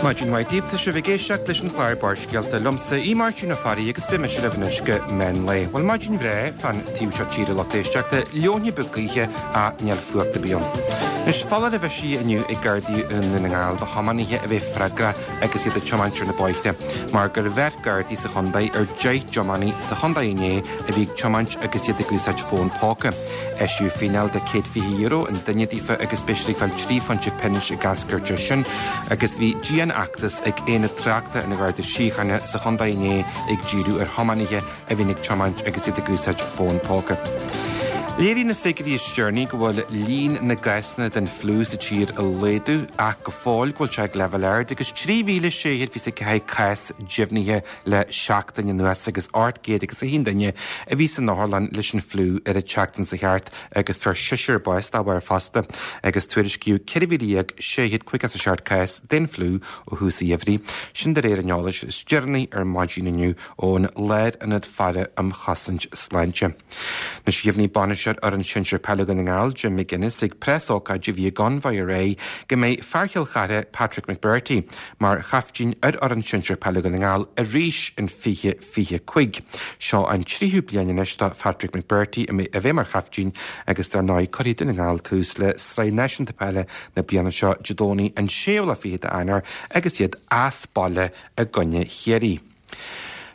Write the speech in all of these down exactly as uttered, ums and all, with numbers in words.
Maidin mhaith daoibh tá sibh ag éisteacht leis an chlár Barrscéalta liomsa í Máirtín Ó Fearraigh agus beidh mise libh anois go meán lae. Bhuel maidin bhreá fan taobh seo tíre lucht éisteachta leoithne beag gaoithe ach níl fuacht ar bith ann. Anois foláireamh eisithe inniu ag Gardaí i nDún na nGall do thiománaithe a bheith freagrach agus iad ag tiomáint ar na bóithre, mar gur bheir Gardaí sa chontae ar deich dtiománaí sa chontae inné a bhí ag tiomáint agus iad ag úsáid fón póca. Eisíodh fíneáil de céad fiche euro an duine daofa agus beidh siad ag fáil trí phointe pionóis ag eascairt as sin, agus bhí dianfheachtas ag Aonad Tráchta an Gharda Síochána sa chontae inné ag díriú ar thiománaithe a bhíonn ag tiomáint agus iad ag úsáid fón póca. Léirigh na figiúirí is deireanaí go bhfuil líon na gcásanna den fliú sa tír ag laghdú ach go fóill go bhfuil sé ag leibhéal ard agus trí mhíle sé chéad fiche a ceathair cás deimhnithe le seachtain anuas agus ocht gcéad agus a haon duine a bhí san otharlann leis an fliú ar an tseachtain seo thart agus fuair seisear bás dá bharr fosta agus tuairiscíodh ceithre mhíle dhéag sé chéad caoga is a seacht cás den fliú ó thús an gheimhridh. Sin de réir an eolais is deireanaí ar maidin inniu ón Lárionad Faire um Chosaint Sláinte. Anois dheimhnigh bainisteoir fhoireann sinsir peile Dhún na nGall Jim McGuinness ag preasócáid a bhí i gConvoy aréir go mbeidh fear Chill Chartha Patrick McBrearty mar chaiftín ar fhoireann sinsir peile Dhún na nGall arís in fiche fiche cúig. Seo an tríú bliain anois do Patrick McBrearty a bheith mar chaiftín agus dar ndóigh cuirfidh Dún na nGall tús le Sraith Náisiúnta Peile na bliana seo Dé Domhnaigh an séú lá fichead d'Eanáir agus iad as baile i gcoinne Chiarraí.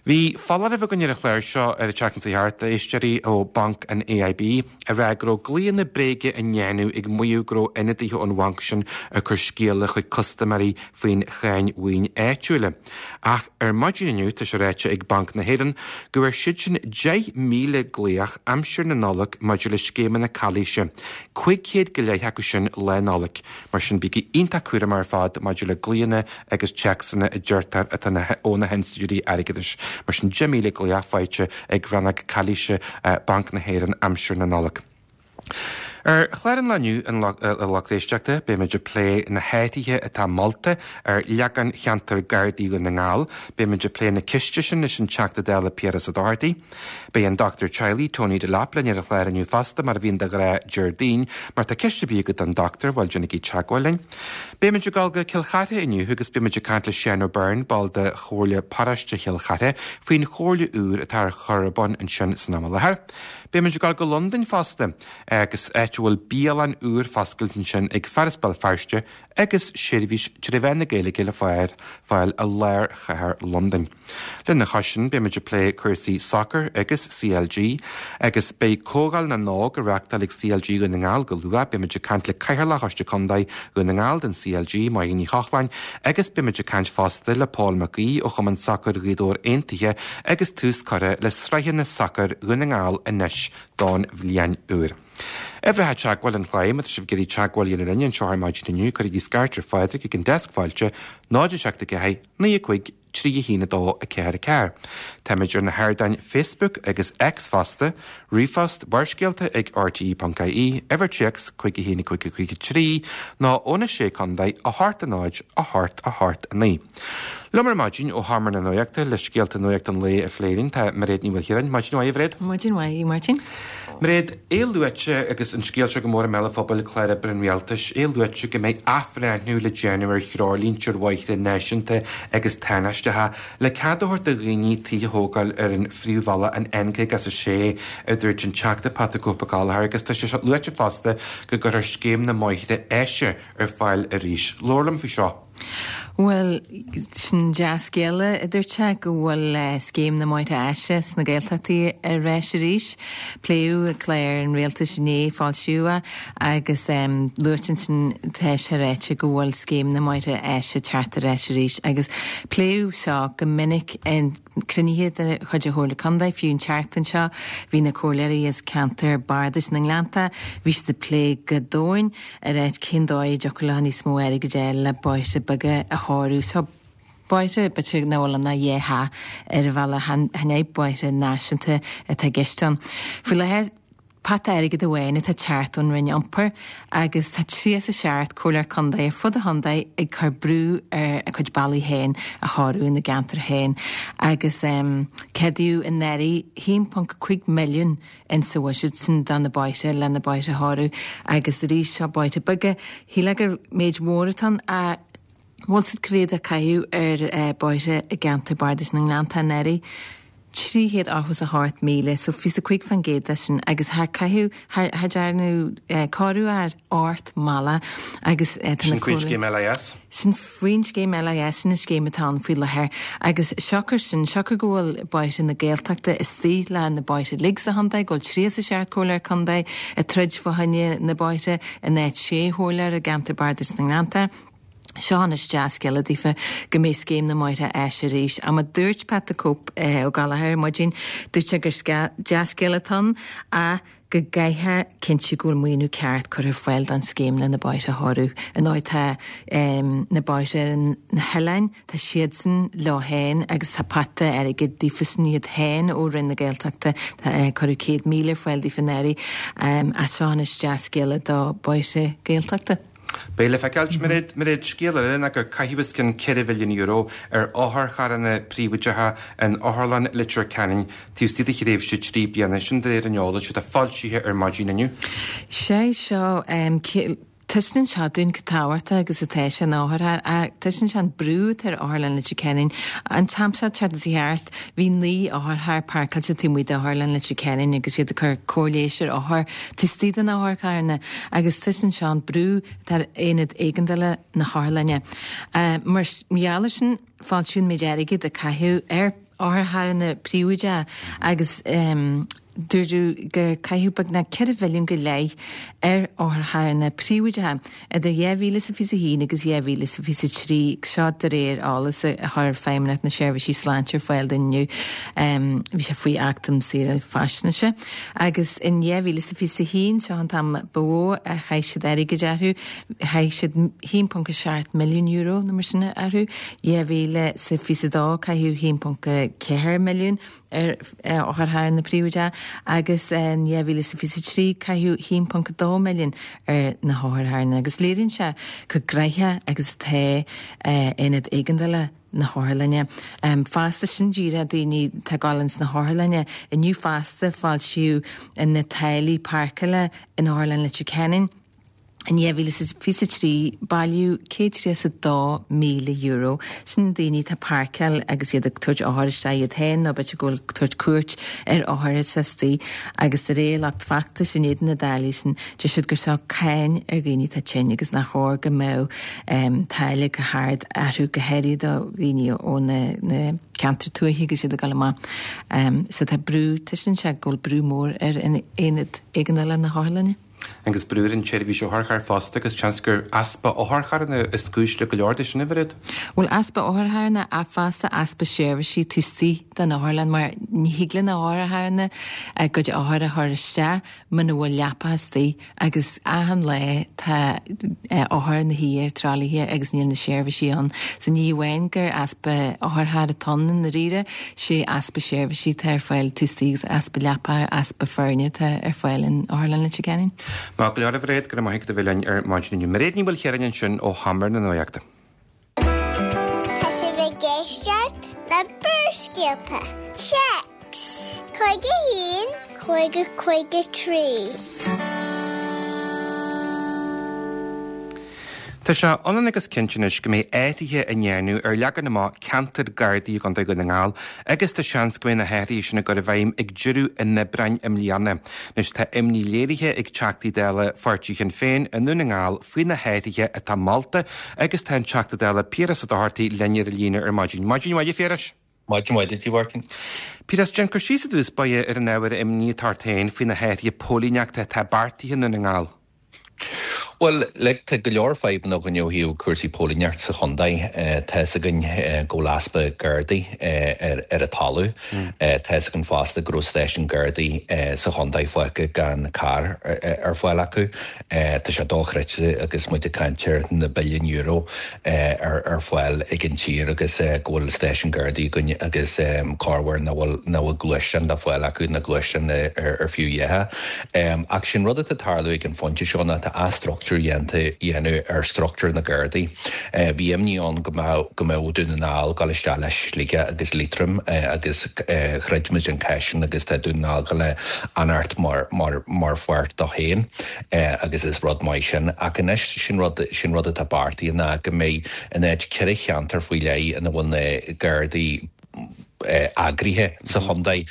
Bhí foláireamh againn ar an chlár seo ar an tseachtain seo thart, a éisteoirí ó Banc an AIB a rá go raibh glaonna bréige á ndéanamh ag maíomh go raibh ionadaithe ón bhanc sin ag cur scéala chuig custaiméirí faoin cháin mhaoin áitiúil. Ach ar maidin inniu tá sé ráite ag Banc na hÉireann go bhfuair siad sin deich míle glaoch aimsir na Nollag maidir le scéimeanna calaoise, cúig chéad go leith acu sin lá Nollag. Mar sin bígí iontach cúramach ar fad maidir le glaonna agus téacsanna a deirtear atá ó na hinstitiúidí airgeadais. Mar sin deich míle glaoch faighte ag rannóg calaoise Banc na hÉireann aimsir na Nollag. Ar chlár an lae inniu a lucht éisteachta, beimid ag plé na hathruithe atá molta ar leagan cheantar Gardaí Dhún na nGall, beimid ag plé na ceiste sin leis an Teachta Dála Piaras Ó Dochartaigh. Beidh an dochtúir teaghlaigh Tony Delap linn ar an chlár inniu fosta mar a bhíonn de ghnáth Déardaoin, mar tá ceist ar bith agat don dochtúir, bhuel déanaigí teagmháil linn. Beimid ag dul go Cill Chartha inniu agus beimid ag caint le Seán O'Byrne, ball de Chomhairle Paróiste Chill Chartha, faoin chomhairle úr atá ar chur ar bun ansin san am i láthair. Beimid ag dul go Londain fosta agus áit a bhfuil bialann úr foscailte ansin ag fear as Béal Feirste agus seirbhís trí mheán na Gaeilge le fáil fáil i lár chathair Londain. Lena chois sin beimid ag plé cúrsaí sacair agus CLG agus beidh Comhdháil na nÓg á reáchtáil ag CLG Dhún na nGall go luath, beimid ag caint le Cathaoirleach Choiste Contae Dhún na nGall den CLG Máire Ní Chochláin agus beimid ag caint fosta le Paul Mac Aoidh ó Chumann Sacair Ghaoth Dobhair Aontaithe agus tús curtha le sraitheanna sacair Dhún na nGall anois don bhliain úr. Uimhreacha teagmháil an chláir má tá sibh ag iarraidh teagmháil a dhéanamh linn anseo ar maidin inniu cuirigí scairt ar Phádraig ag an deasc fáilte náid a seacht a ceathair naoi a cúig trí a haon a dó a ceathair a ceathair. Táimid ar na hardáin Facebook agus X fosta, ríomhphost barrscéalta ag rte.ie, uimhir téacs cúig a haon a cúig a cúig a trí, nó óna sé contae a hocht a náid a hocht a hocht a naoi. Liom ar maidin ó Sheomra na Nuachta le scéalta nuachta an lae a phlé linn tá Mairéad Ní Mhaoilchiaráin, Maidin mhaith a Mhairéad. Maidin mhaith, Máirtín. Mairéad, é luaite agus an scéal seo go mór i mbéal an phobail clár oibre an rialtais, é luaite go mbeidh athbhreithniú le déanamh ar threoirlínte ar bhóithre náisiúnta agus tánaisteacha le cead a thabhairt do dhaoine tithe a thógáil ar an phríomhbhealach an N caoga is a sé a dúirt an Teachta Patrick Cope Gallagher agus tá sé seo luaite fosta go gcuirfear scéim na mbóithre áise ar fáil arís. Labhair liom faoi seo. Well sin dea-scéala a dúirt sé go bhfuil scéim na mbóithre áise sna Gaeltachtaí ar ais arís. Pléadh clár an rialtais inné foilsíodh é agus um, luaite sin tá sé ráite go bhfuil scéim na mbóithre áise teacht ar ais arís agus pléadh seo go minic in cruinnithe de chuid an Chomhairle Contae fiú an tseachtain seo bhí na comhairleoirí as ceantar Bardais na nGleannta bhí siad ag plé go domhain ar áit cén dóigh a dtiocfadh leo níos mó airgid a fháil le bóithre beaga a chóiriú so bóithre b'fhéidir nach bhfuil ina dhéha ar a bhealach chan bóithre náisiúnta atá i gceist ann. Faoi láthair pota airgid amháin atá teacht ón Roinn Iompair agus tá tríocha is a seacht comhairleoir contae ar fud an chontae ag cur brú ar a cuid bealaí féin a chóiriú ina gceantar féin agus um, ceadaíodh anuraidh haon ponc cúig milliún in sa bhuiséad sin do na bóithre le na bóithre a chóiriú agus arís seo bóithre beaga shíl gur méid mhór atá a Bhfuil siad cá mhéad a caitheadh ar bóithre i gceantar Bardais na nGleannta anuraidh? trí chéad ochtó is a hocht míle, so fiche is a cúig faoin gcéad de sin, agus char caitheadh, char dearnadh cóiriú ar ocht mbealach agus tá na Sin faoin scéim LIS? Sin faoin scéim LIS, sin an scéim atá ann faoi láthair. Agus siocair sin, siocair go bhfuil bóithre na Gaeltachta istigh le na bóithre uilig sa chontae, go bhfuil tríocha is a seacht comhairleoir contae ag troid fá choinne na bóithre in áit sé chomhairleoir i gceantar Bardais na nGleannta. Seo anois dea-scéala daofa go mbeidh Scéim na mBóithre Áise arís. Ach mar a dúirt Pat the Cope Ó Gallchóir ar maidin, dúirt sé gur dea-scéala atá ann ach go gcaithfear cinntiú go bhfuil maoiniú ceart curtha ar fáil don scéim le na bóithre a chóiriú. Ar ndóigh tá na bóithre ar na hoileáin, tá siadsan leo féin agus tá pota airgid daofasan iad féin ó Roinn na Gaeltachta, tá cuireadh céad míle ar fáil daofa anuraidh. Ach seo anois dea-scéala do bóithre Gaeltachta. Beidh le feiceáil. Mairéad, Mairéad, scéal eile ná gur caitheadh os cionn ceithre mhilliún euro ar otharcharranna príobháideacha in Otharlann Leitir Ceanainn taobh istigh de thréimhse trí bliana, sin de réir an eolais atá foilsithe ar maidin inniu. Sé seo taispeánann seo dúinn chomh tábhachtach agus atá sé an otharcharr ach taispeánann sé an brú atá ar Otharlann Leitir Ceanainn. An t-am seo tseachtain seo thart bhí naoi otharcharr páirceáilte taobh amuigh d'Otharlann Leitir Ceanainn agus iad ag cur cóir leighis ar othair taobh istigh de na hotharcharranna agus taispeánann seo an brú atá ar aonad éigeandála na hotharlainne. Mar gheall air sin foilsíodh an méid airgid a caitheadh ar otharcharranna príobháideacha agus dúradh gur caitheadh beagnach ceithre mhilliún go leith ar otharcharranna príobháideacha idir dhá mhíle is a fiche a haon agus dhá mhíle is a fiche a trí, seo de réir eolas a chuir Feidhmeannacht na Seirbhísí Sláinte ar fáil dúinn inniu. Bhí sé faoi Acht um Shaoráil Faisnéise. Agus in dhá mhíle is a fiche a haon, seo an t-am ba mhó a chaith siad airgead orthu, chaith siad haon ponc a seacht milliún euro nó mar sin orthu. Dhá mhíle is a fiche a dó caitheadh haon ponc a ceathair milliún ar otharcharranna príobháideacha agus in dhá mhíle is fiche a trí caitheadh haon ponc dó milliún ar na hotharcharranna agus léiríonn sé chomh gnaitheach agus atá aonad éigeandála na hotharlainne. Fosta sin díreach daoine atá ag dul ins na hotharlainne. Inniu fosta foilsíodh na táillí páirceála in Otharlann Leitir Ceanainn. In dhá mhíle is fiche a trí, bailíodh céad tríocha is a dó míle euro. Sin daoine atá ag páirceáil agus iad ag tabhairt othair isteach iad féin nó b'fhéidir go bhfuil ag tabhairt cuairt ar othair atá istigh. Agus de réir lucht feachtais in éadan na dtáillí sin, deir siad gur seo cáin ar dhaoine atá tinn agus nach chóir go mbeadh táille chomh hard orthu, go háirithe do dhaoine ó na ceantair tuaithe agus iad ag dul amach. So tá brú, taispeánann sé go bhfuil brú mór ar aonad éigeandála na hotharlainne. Agus brú ar an tseirbhís otharcharr fosta agus seans gur easpa otharcharranna is cúis le go leor de sin, a Mhairéad. Bhuel, easpa otharcharranna ach fosta easpa seirbhísí taobh istigh den otharlann mar ní thig le na hotharcharranna a gcuid othar a chur isteach muna bhfuil leapacha istigh agus achan lá tá othair ina shuí ar tralaithe agus níl na seirbhísí ann. So ní amháin gur easpa otharcharr atá ann i ndáiríre, sé easpa seirbhísí atá ar fáil taobh istigh agus easpa leapacha, easpa foirne atá ar fáil in Otharlann Leitir Ceanainn. Maith go leor, a Mhairéad, go raibh maith agat a bheith linn ar maidin inniu. Mairéad Ní Mhaoilchiaráin ansin ó Sheomra na Nuachta. Tá sibh ag éisteacht le Barrscéalta. Téacs cúig a haon, cúig a cúig a trí. Tá sé ionann agus cinnte anois go mbeidh athruithe á ndéanamh ar leagan amach ceantar Gardaí i gContae Dhún na nGall agus tá seans go mbeidh na hathruithe sin ag dul i bhfeidhm ag deireadh an Aibreáin i mbliana. Anois tá imní léirithe ag Teachtaí Dála pháirtí Shinn Féin i nDún na nGall faoi na hathruithe atá molta agus tá an Teachta Dála Piaras Ó Dochartaigh linn ar an líne ar maidin. Maidin mhaith a Phiarais. Maidin mhaith duit, a Mháirtín. Piaras, déan cur síos i dtús báire ar an ábhar imní atá ort féin faoi na hathruithe póilíneachta atá beartaithe i nDún na nGall. Bhuel, like, tá go leor fadhbanna againn ó thaobh cúrsaí póilíneachta sa chontae. Tá fhios againn go bhfuil easpa Gardaí ar ar an talamh. Tá fhios againn fosta go raibh stáisiún Gardaí sa chontae fágtha gan carr ar fáil acu. Tá sé dochreidte agus muid ag caint ar na billiúin euro ar ar fáil ag an tír agus go bhfuil stáisiún Gardaí againn agus corruair nach bhfuil nach bhfuil gluaisteán le fáil acu, na gluaisteáin ar ar fiú a dhath. Ach sin rud atá ag tarlú ag an phointe seo ná tá athstruchtúrú aistriú dhéanta dhéanamh ar struchtúr na Gardaí. Bhí imní ann go mbeadh go mbeadh Dún na nGall ag dul isteach le Sligeach agus Liatroim agus throid muid an cath sin agus tá Dún na nGall le fanacht mar mar mar pháirt dó féin agus is rud maith sin ach anois sin rud sin rud atá beartaithe ná go mbeidh in áit ceithre cheantar faoi leith ina bhfuil na Gardaí eagraithe sa chontae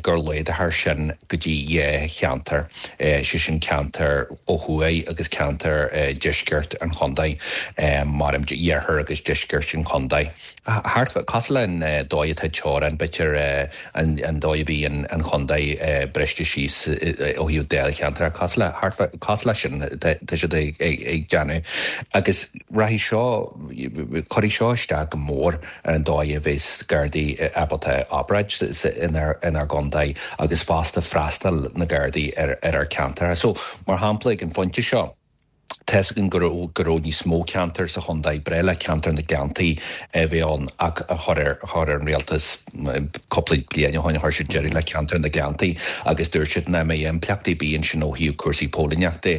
gur laghdófar sin go dtí dhá cheantar, sé sin ceantar ó thuaidh agus ceantar deisceart an chontae, mar iarthar agus deisceart an chontae. Thart cosúil le an dóigh atá teorainn, b'fhéidir an dóigh a bhí an chontae briste síos ó thaobh dáilcheantar, cosúil le thart cosúil leis sin tá siad ag déanamh. Agus rachaidh seo, cuirfidh seo isteach go mór ar an dóigh a bheas Gardaí ábalta obair inár gcontae agus fosta freastal na Gardaí ar ar ár ceantar. So mar shampla ag an phointe seo, tá a fhios againn go raibh go raibh níos mó ceantar sa chontae breá le ceantar na Gleanntaí a bheith ann ach a chur ar chur ar an rialtas cúpla bliain ó shin chuir siad deireadh le ceantar na Gleanntaí agus dúirt siad nach mbeidh impleachtaí ar bith ansin ó thaobh cúrsaí póilíneachta.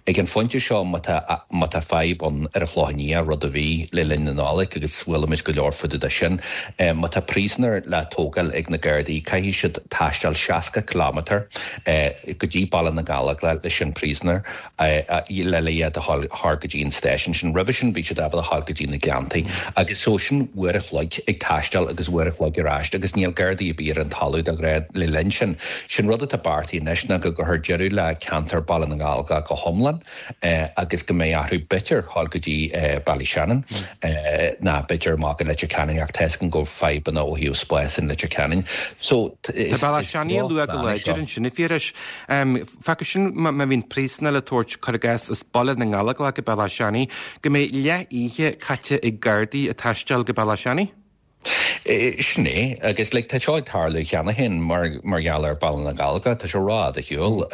Ag an phointe seo má tá má tá fadhb ann ar an Chlochán Liath rud a bhí le linn na Nollag agus chuala muid go leor fá dtaobh de sin. Má tá príosúnaigh le tógáil ag na Gardaí caithfidh siad taisteal seasca kilometre go dtí Baile na nGallóglach leis an príosúnach le le iad a chur go dtí an stáisiún sin. Roimhe sin bhí siad ábalta a ghabháil go dtí na Gleanntaí agus so sin uair a chloig ag taisteal agus uair a chloig ar ais agus níl Gardaí ar bith ar an talamh de ghnáth le linn sin. Sin rud atá beartaithe anois ná go gcuirfear deireadh le ceantar Baile na nGallóglach go hiomlán agus go mbeidh orthu b'fhéidir ghabháil go dtí Ballyshannon ná b'fhéidir amach go Leitir Ceanainn ach tá a fhios againn go bhfuil fadhbanna ó thaobh spáis in Leitir Ceanainn. So Tá Ballyshannon luaite go láidir ansin a Phiarais. Fágann sin má bhíonn príosúnach le tabhairt cuir i gcás as Baile na nGallóglach go Ballyshannon, go mbeidh leath oíche caite ag Gardaí ag taisteal go Ballyshannon? Sin é agus like, tá seo ag tarlú cheana féin mar mar gheall ar Baile na nGallóglach, tá sé rófhada ar shiúl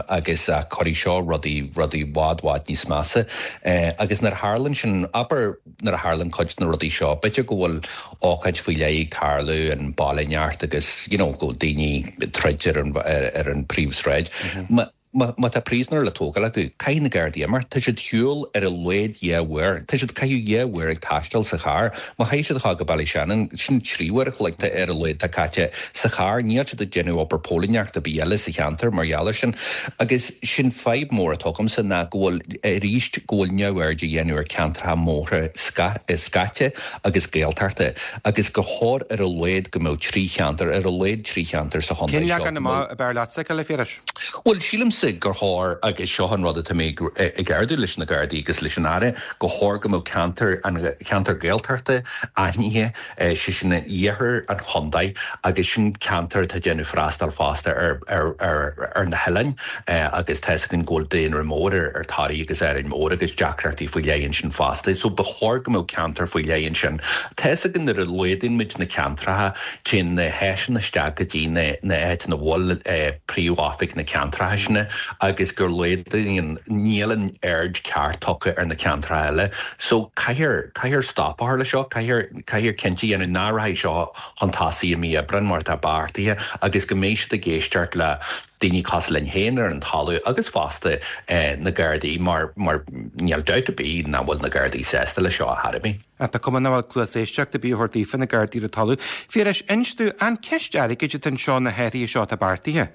agus cuirfidh seo rudaí rudaí i bhfad bhfad níos measa. Agus nuair a tharlaíonn sin abair nuair a tharlaíonn cuid de na rudaí seo, b'fhéidir go bhfuil ócáid faoi leith ag tarlú an baile neart agus you know, go bhfuil daoine troid ar an ar an príomhshráid. Mm -hmm. Má tá príosúnach le tógáil acu, caithfidh na Gardaí imeacht. Tá siad ar shiúl ar a laghad dhá uair. Tá siad ag caitheamh dhá uair ag taisteal sa charr. Má chaithfidh siad a ghabháil go Ballyshannon, sin trí uair a chloig ar a laghad atá caite sa charr. Níl siad ag déanamh obair póilíneachta ar bith eile sa cheantar mar gheall air sin. Agus sin fadhb mór atá agamsa ná go bhfuil arís go bhfuil neamhaird á dhéanamh ar ceantracha móra scaite agus Gaeltachta agus gur chóir ar a laghad go mbeadh trí cheantar, ar a laghad trí cheantar sa chontae seo. Cén leagan amach ab fhearr leatsa, a Phiarais? Bhuel, sílimse gur chóir agus seo an rud atá mé ag ardú leis na Gardaí agus leis an Aire, gur chóir go mbeadh ceantar an cheantar Gaeltachta aithnithe, sé sin iarthar an chontae agus sin ceantar atá ag déanamh freastal fosta ar ar ar ar na hoileáin agus tá a fhios againn go bhfuil daonra mór ar ar Thoraí agus Árainn Mhór agus deacrachtaí faoi leith ansin fosta. So ba chóir go mbeadh ceantar faoi leith ansin. Tá a fhios againn nuair a laghdaíonn muid na ceantracha, téann na háiseanna isteach go dtí na na áiteanna a bhfuil príomhoifig na ceantracha sin agus gur laghdaíonn níl an aird ceart tugtha ar na ceantracha eile. So caithfear caithfear stop a chur le seo, caithfear caithfear cinnte a dhéanamh nach rachaidh seo chun tosaigh i mí Aibreáin mar atá beartaithe agus go mbeidh siad ag éisteacht le daoine cosúil linn féin ar an talamh agus fosta na Gardaí mar mar níl dabht ar bith nach bhfuil na Gardaí sásta le seo a chor ar bith. Tá cuma nach bhfuil cluas éisteachta ar bith á thabhairt daofa na Gardaí ar an talamh. Phiarais, inis domh an ceist airgid atá anseo na hathruithe seo atá beartaithe.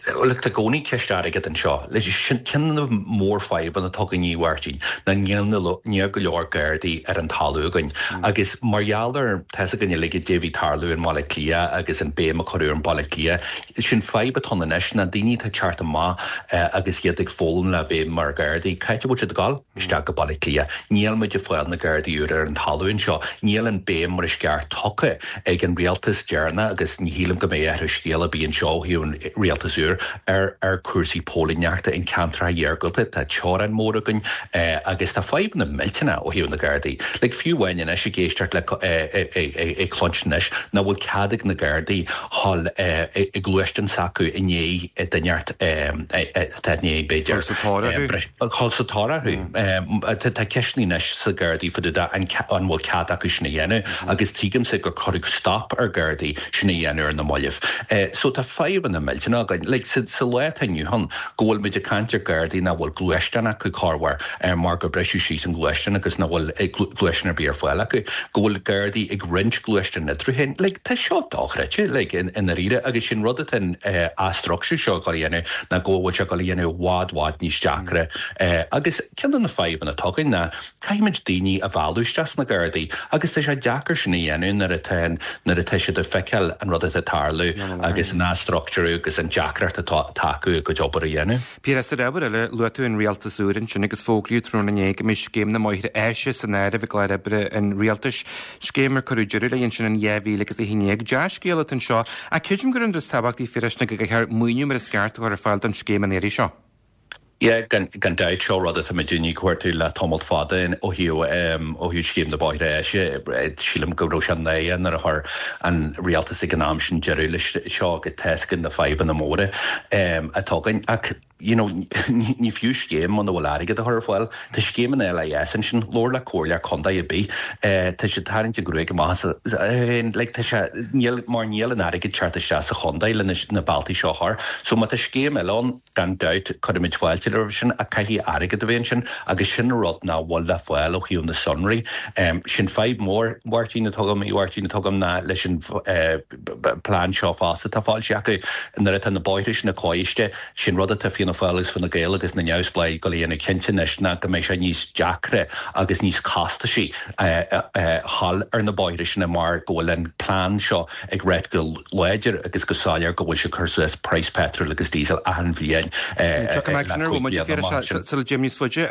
Look, tá i gcónaí ceist airgid anseo. Sin ceann de na mórfhadhbanna atá againn a Mháirtín, ná níl níl go leor Gardaí ar an talamh againn. Agus mar gheall ar tá a fhios againn uilig caidé a bhí ag tarlú i mBaile Átha Cliath agus an béim a cuireadh ar an Baile Átha Cliath, sin fadhb atá ann anois ná daoine atá ag teacht amach agus iad ag foghlaim le bheith mar Ghardaí, cá háit a bhfuil siad ag dul? Isteach go Baile Átha Cliath. Níl muid ag fáil na Gardaí úra ar an talamh anseo. Níl an béim mar is ceart tugtha ag an rialtas deireanach agus ní shílim go mbeidh athrú scéil ar bith anseo ó thaobh an rialtas úr ar ar cúrsaí póilíneachta in ceantracha iargúlta. Tá teorainn mór againn agus tá fadhbanna millteanna ó thaobh na Gardaí. Like fiú amháin anois ag éisteacht le ag cluinstin anois nach bhfuil cead ag na Gardaí dhul i gluaisteán s'acu i ndiaidh duine atá i ndiaidh b'fhéidir Dul sa tóir orthu. Dul sa tóir orthu. Tá ceisteanna anois sa Gardaí fá dtaobh de an an bhfuil cead acu sin a dhéanamh agus tuigimse gur cuireadh stop ar Gardaí sin a dhéanamh ar na mallaibh. So tá fadhbanna millteanna againn. Like sa sa lá atá inniu ann go bhfuil muid ag caint ar Gardaí nach bhfuil gluaisteán acu corruair mar gur briseadh síos an gluaisteán agus nach bhfuil gluaisteán ar bith ar fáil acu, go bhfuil Gardaí ag roinnt gluaisteán eatarthu féin. Like tá seo dochreidte like i ndáiríre agus sin rud atá an athstruchtúrú seo ag dul a dhéanamh ná go bhfuil sé ag dul a dhéanamh i bhfad bhfad níos deacra agus ceann de na fadhbanna atá againn ná caithfimid daoine a mhealladh isteach sna Gardaí agus tá sé deacair sin a dhéanamh nuair atá nuair atá siad ag feiceáil an rud atá ag tarlú agus an athstruchtúrú agus an deacracht atá acu a gcuid obair a dhéanamh. Piaras, ar ábhar eile, luaigh tú an rialtas úr ansin agus fógraíodh tráthnóna inné go mbeidh scéim na mbóithre áise san áireamh i gclár oibre an rialtais, scéim ar cuireadh deireadh léi ansin in dhá mhíle agus a haon déag. Dea-scéal atá anseo, ach creidim gur an rud is tábhachtaí, a Phiarais, ná go gcaithfear maoiniú mar is ceart a chur ar fáil don scéim an iarraidh seo. Yeah, gan gan dabht seo rud atá muid ag cuartú le tamall fada ó thaobh ó thaobh scéim na bóithre áise. Sílim go raibh sé naoi nuair a chuir an rialtas ag an am sin deireadh leis seo agus tá a fhios againn na fadhbanna móra atá againn. Ach you know, ní fiú scéim muna bhfuil airgead a chur ar fáil. Tá scéim an L I S ansin, labhair le comhairle contae ar bith, tá siad tarraingt a gruaig amach like, tá sé níl mar níl an airgead teacht isteach sa chontae le na bealtaí seo a chur. So má tá scéim eile ann, gan dabht cuirfimid fáilte roimh sin ach caithfidh airgead a bheith ansin agus sin rud nach bhfuil le fáil ó thaobh na sonraí. Um, sin fadhb mór Mháirtín atá agam Mháirtín atá agam ná leis an uh, plean seo fosta atá foilsithe acu nuair atá na bóithre sin na coiste sin rud atá Fianna Fáil agus Fine Gael agus na neamhspleáigh ag dul a dhéanamh cinnte anois ná go mbeidh sé níos deacra agus níos costasaí dhul ar na bóithre sin mar go bhfuil an plean seo ag rá go láidir agus go soiléir go bhfuil sé cur suas praghas petrol agus diesel achan bhliain. Sula dtéim níos faide,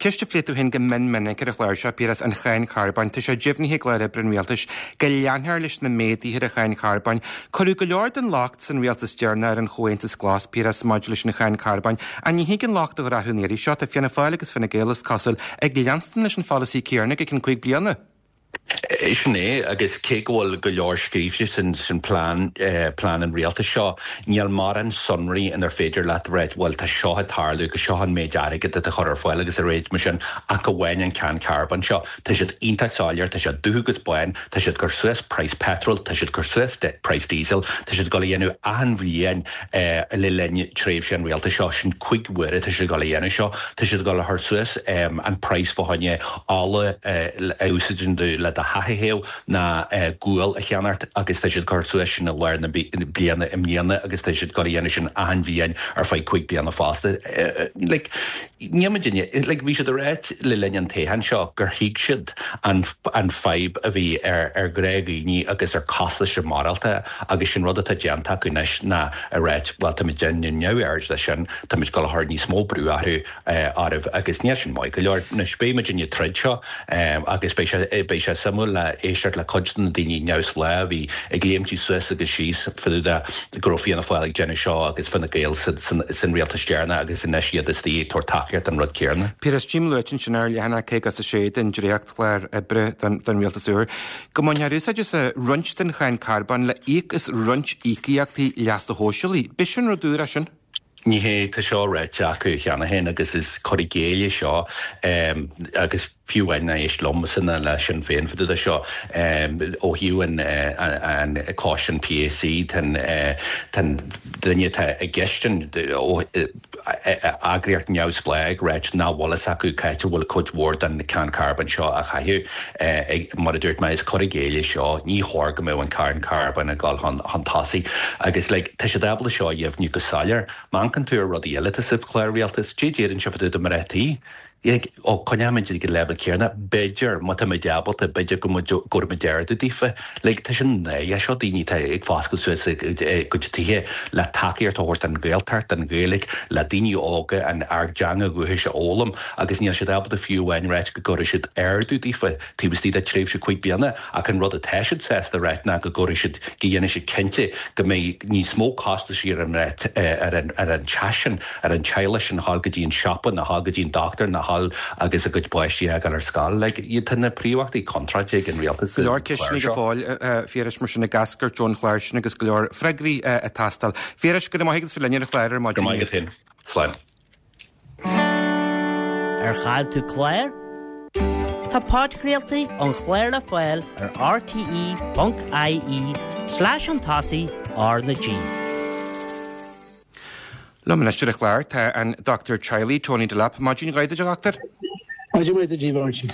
ceist a phléigh tú féin go mion minic ar an chlár seo, Piaras, an cháin charbóin. Tá sé deimhnithe i gclár oibre an rialtais go leanfar leis na méaduithe ar an cháin charbóin. Cuireadh go leor den locht san rialtas deireanach ar an Chomhaontas Glas, Piaras, maidir leis an cháin charbóin. An ní thig an locht a chur orthu an iarraidh seo? Tá Fianna Fáil agus Fine Gael is cosúil ag leanstan leis an pholasaí céanna go ceann cúig bliana. Sin é agus cé go bhfuil go leor scríofa sin sin plean eh, plean an rialtais seo, níl mórán sonraí inar féidir leat rá bhuel tá seo ag tarlú go seo an méid airgead atá chur ar fáil agus a réid mar sin ach amháin an cáin carbóin seo. Tá siad iontach soiléir, tá siad dubh agus bán, tá siad cur suas praghas petrol, tá siad cur suas praghas diesel, tá siad ag dul a dhéanamh achan bhliain eh, le linn tréimhse an rialtais seo sin cúig huaire tá siad ag dul a dhéanamh seo, tá siad ag dul a chur suas um, an praghas fá choinne ola eh, a úsáideann tú le do theach a théamh ná eh, gual a cheannacht agus tá siad cur suas sin i lár na bliana i mbliana agus tá siad ag dul a dhéanamh sin achan bhliain ar feadh cúig bliana fosta. Eh, like, ní duine like, bhí siad ag rá le linn an toghcháin seo gur thuig siad an, an fadhb a bhí ar ar ghnáthdhaoine agus ar costas maireachtála agus sin rud atá déanta acu anois ná a rá well tá muid déanamh neamhaird de sin tá muid ag dul a chur níos mó brú orthu oraibh agus níl sin maith go leor anois beidh muid tríd seo um, agus beidh sé beidh sé suimiúil le éisteacht le cuid de na daoine neamhspleách a bhí ag léimtí suas agus síos fá go raibh Fianna Fáil ag déanamh seo agus Fine Gael san rialtas deireanach agus anois iad istigh ag tabhairt tacaíocht an rud céanna. Piaras, tím luaite sin ar leathanach caoga a sé den dréachtchlár oibre don rialtas úr. Go mbainfear úsáid as roinnt den cháin carbóin le íoc as roinnt íocaíochtaí leasa shóisialaigh. B'shin rud úr é sin? Ní hé tá seo ráite acu cheana féin agus is cur i gcéill é seo um, agus fiú amháin éist liomsa ná le Sinn Féin fá dtaobh de seo um, ó thaobh an, an, an cás an P A C tan tan duine atá i gceist eagraíocht neamhspleách ag rá nach bhfuil fhios acu cá háit a bhfuil cuid mhór den cháin carbóin seo a chaitheamh mar a dúirt mé is cur i gcéill é seo ní chóir go mbeadh an cáin carbóin ag dul chun chun tosaigh agus like, tá siad ábalta seo a dheimhniú go soiléir. Má amharcann tú ar rudaí eile sa chlár rialtais, dé déarann se do mar tí. Ó coinneoimid ag an leibhéal céanna, b'fhéidir má tá muid ábalta b'fhéidir go gcuirfimid ardú daofa. Like, tá sin é seo daoine tá ag foscailt suas a gcuid tithe le tacaíocht a thabhairt an Ghaeltacht an Ghaeilge le daoine óga an ár dteanga dhúchais a fhoghlaim agus níl siad ábalta fiú amháin rá go gcuirfidh siad ardú daofa taobh istigh de tréimhse cúig bliana ach an rud atá siad sásta rá ná go gcuirfidh siad go dhéanfaidh siad cinnte go mbeidh níos mó costas ar an ar an ar an teach sin ar an teaghlach sin dhul go dtí an siopa ná dhul go dtí an dochtúir ná dhul agus a gcuid páistí a ghabháil ar scoil like, iad tá na príomhachtaí contráilte ag an rialtas. Go leor ceisteanna go fóill a Phiarais mar sin ag eascairt ón chlár sin agus go leor freagraí ag teastáil. Phiarais, go maith agus linn ar an chlár ar maidin. Go maith féin. Slán. Ar chaill tú clár? Tá podchraoltaí an chláir le fáil ar R T E ponc I E slash an tosaigh R na G. Liom anois ar an chlár tá an dochtúir teaghlaigh Tony Delap. Maidin mhaith duit, a dhochtúir. Maidin mhaith duit, a Mháirtín.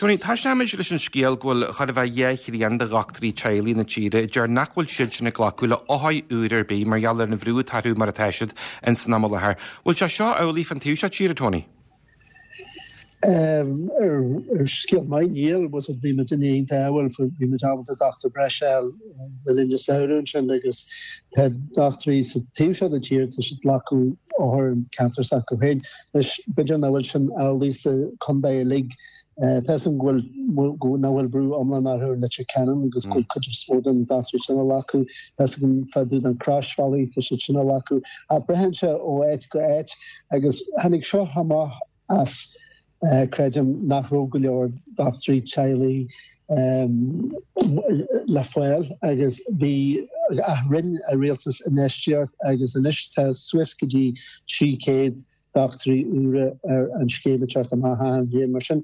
Tony, tosóimid leis an scéal go bhfuil chóir a bheith dhá thrian de dhochtúirí teaghlaigh na tíre a deir nach bhfuil siad sin ag glacadh le othair úr ar bith mar gheall ar an bhrú atá orthu mar atá siad in san am i láthair. Bhfuil sé seo amhlaidh fan taobh seo tíre, Tony? Ar scéal maith níl, was bhí muid in iontach bhfuil bhí muid ábalta dochtúir breise a fháil le linn an samhradh ansin agus tá dochtúirí sa taobh seo den tír tá siad ag glacadh othar an ceantar s'acu féin. Anois b'fhéidir nach bhfuil sin amhlaidh sa chontae uilig. Tá a fhios agam go bhfuil nach bhfuil brú iomlán orthu ar Leitir Ceanainn agus go bhfuil cuid is mó den dochtúirí sin ag glacadh. Tá a fhios agam fá dtaobh den Chroisbhealaigh tá siad sin ag glacadh. Ach braitheann sé ó áit go áit agus tháinig seo amach as creidim nach raibh go leor dochtúirí teaghlaigh le fáil agus bhí ach rinne an rialtas infheistíocht agus anois tá suas go dtí trí chéad dochtúirí úra ar an scéim ag teacht amach achan bhliain. Mar sin,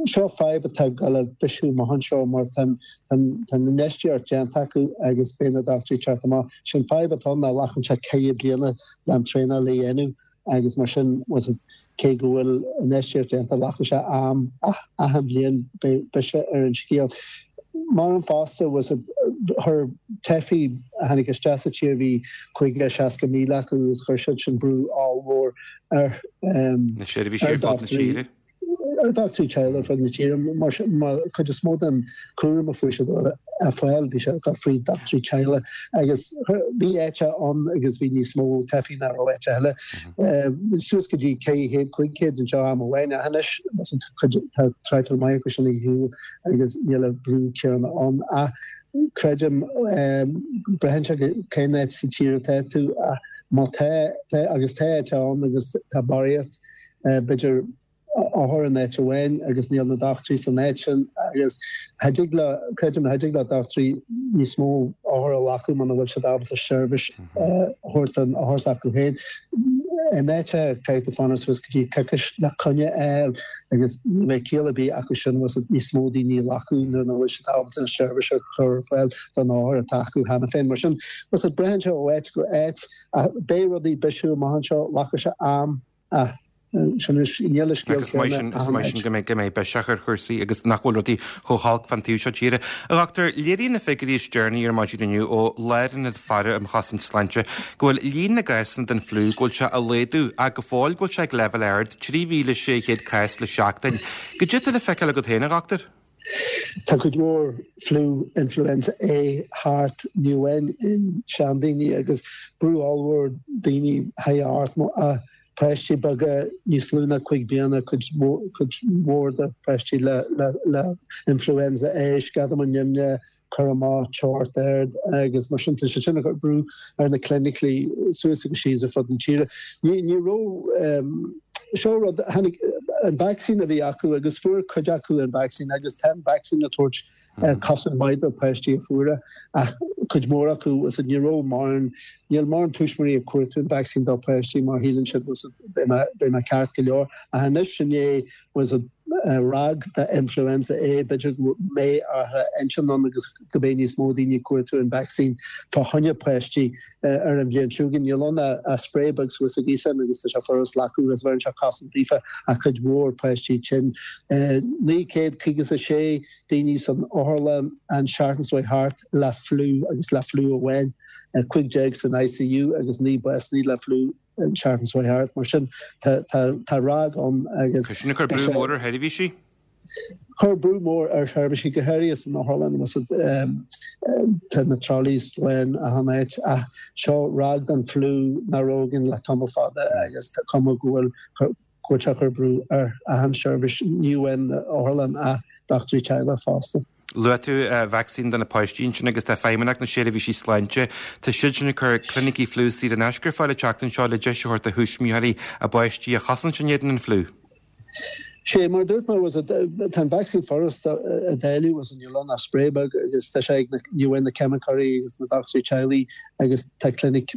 seo fadhb atá ag dul a bhisiú amach anseo mar tá an infheistíocht déanta acu agus beidh na dochtúirí ag teacht amach. Sin fadhb atá ann ná glacann sé ceithre bliana le an traenáil a dhéanamh agus mar sin was it cé go bhfuil infheistíocht déanta glacfaidh sé am ach achan bhliain beidh biseach ar an scéal. Mar an fosta was it chuir teifigh a tháinig isteach sa tír bhí caoga seasca míle acu agus chuir siad sin brú ollmhór ar Na seirbhísí ar fud na tíre. ar dochtúirí teaghlaigh ar fud na tíre mar mar cuid is mó den cúram a fuair siad a fáil bhí sé ag dul fríd dochtúirí teaghlaigh agus bhí áite ann agus bhí níos mó teifigh ná raibh áite eile. Suas go dtí ceithre chéad, cúig chéad anseo am amháin ach anois cuid tá traidhfil maith acu sin ar shiúl agus níl an brú céanna ann ach creidim braitheann sé cén áit sa tír atá tú ach má tá agus tá áit ann agus tá barraíocht b'fhéidir othar in áit amháin agus níl na dochtúirí san áit sin agus cha dtig le, creidim cha dtig le dochtúirí níos mó othar a ghlacadh muna bhfuil siad ábalta seirbhís a thabhairt don othar s'acu féin. In áit caithfidh tú fanacht suas go dtí coicís le coinne a fháil agus ní bheidh ciall ar bith acu sin níos mó daoine a ghlacadh nuair nach bhfuil siad ábalta an seirbhís a chur ar fáil don othar atá acu cheana féin. Mar sin, braitheann sé ó áit go áit ach beidh rudaí ag bisiú amach anseo, glacfaidh sé am ach sin níl an scéal Agus maith sin, is maith sin go mbeidh go mbeidh biseach ar chúrsaí agus nach bhfuil rudaí chomh holc fan taobh seo tíre. A dhochtúir, léiríonn na figiúirí is deireanaí ar maidin inniu ó Lárionad Faire um Chosaint Sláinte go bhfuil líon na gcásanna den fliú go bhfuil sé ag laghdú ach go fóill go bhfuil sé ag leibhéal ard, trí mhíle sé chéad cás le seachtain. Goidé atá le feiceáil agat féin, a dhochtúir? Tá cuid mhór fliú influenza A thart, ní amháin in seandaoine agus brú ollmhór daoine high art a páistí beaga níos lú ná cúig bliana, cuid mhór de pháistí le le influenza A, scamall nimhe, cur amach, teocht ard agus mar sin tá sé sin ag cur brú ar na clinicí suas agus síos ar fud na tíre. Ní ní raibh seo rud tháinig an vacsaín a bhí acu agus fuair cuid acu an vacsaín agus tá an vacsaín ag tabhairt cosaint maith do páistí a fuair é ach cuid mhór acu is ní raibh mórán níl mórán tuismitheoirí ag cuartú an vacsaín dá páistí mar shíleann siad beidh mé ceart go leor ach anois inné was a ráig de influenza A b'fhéidir go mbeidh athrú intinn ann agus go mbeidh níos mó daoine ag cuartú an vacsaín fá choinne páistí ar an bhliain seo chugainn. Níl ann ach spray beag suas sa ghaosán agus tá sé furast glacadh agus bheireann sé cosaint daofa ach cuid mhór páistí tinn. naoi gcéad caoga is a sé daoine san otharlann an seachtain seo thart le fliú agus le fliú amháin, cúig déag san I C U agus naoi básanna le fliú an seachtain seo thart. Mar sin tá ráig ann agus. Tá sin ag cur brú mór ar sheirbhísí? Chuir brú mór ar sheirbhísí go háirithe san otharlann agus tá na trolleys lán achan áit ach seo ráig den fliú nach raibh againn le tamall fada agus tá cuma go bhfuil go bhfuil sé ag cur brú ar achan seirbhís, ní amháin otharlann ach dochtúirí teaghlaigh fosta. Luaigh tú vacsaín do na páistí ansin agus tá Feidhmeannacht na Seirbhísí Sláinte, tá siad sin ag cur clinicí fliú saor in aisce ar fáil an tseachtain seo le deis a thabhairt do thuismitheoirí a bpáistí a chosaint in éadan an fliú. Sé mar dúirt mé was tá an vacsaín furast a dhéanamh was an níl ann ach spray beag agus tá sé ag na ní amháin na ceimiceoirí agus na dochtúirí teaghlaigh agus tá clinic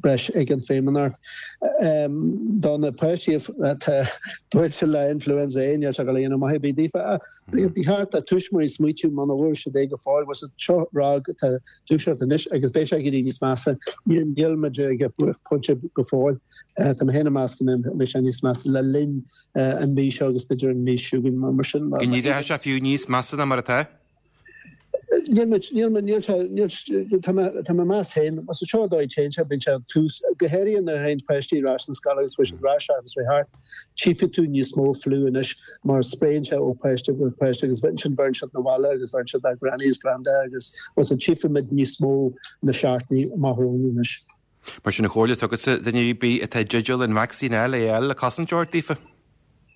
breis ag an Feidhmeannacht. Do na páistí atá buailte le influenza A níl sé ag dul a dhéanamh maith ar bith daofa. Ba cheart do tuismitheoirí smaoitiú muna bhfuair siad é go fóill, bhfuil a fhios agat, seo ráig atá ag dúiseacht anois agus beidh sé ag éirí níos measa. Níl muid ag buaicphointe go fóill. Tá mé féin ag meas go mbeidh sé níos measa le linn an mhí seo agus b'fhéidir an mhí seo chugainn mar sin. Go n-éireoidh sé fiú níos measa ná mar atá? Níl muid, níl muid, níl sé, níl, tá mé, tá mé ag meas féin, más é seo an dóigh a dtéann sé, bíonn sé tús, go háirithe nuair a théann páistí ar ais na scoile agus bhfuil siad ar ais agus faoi thart, tchífidh tú níos mó fliú anois mar spréann sé ó pháiste go páiste agus ansin bheireann siad 'na bhaile agus bheireann siad dá granny is granda agus bhfuil a fhios agat, tchífidh muid níos mó na seachtainí amach romhainn anois. Mar sin an chomhairle atá agatsa, duine ar bith atá i dteideal an vacsaín a fháil, é a fháil le cosaint a thabhairt daofa.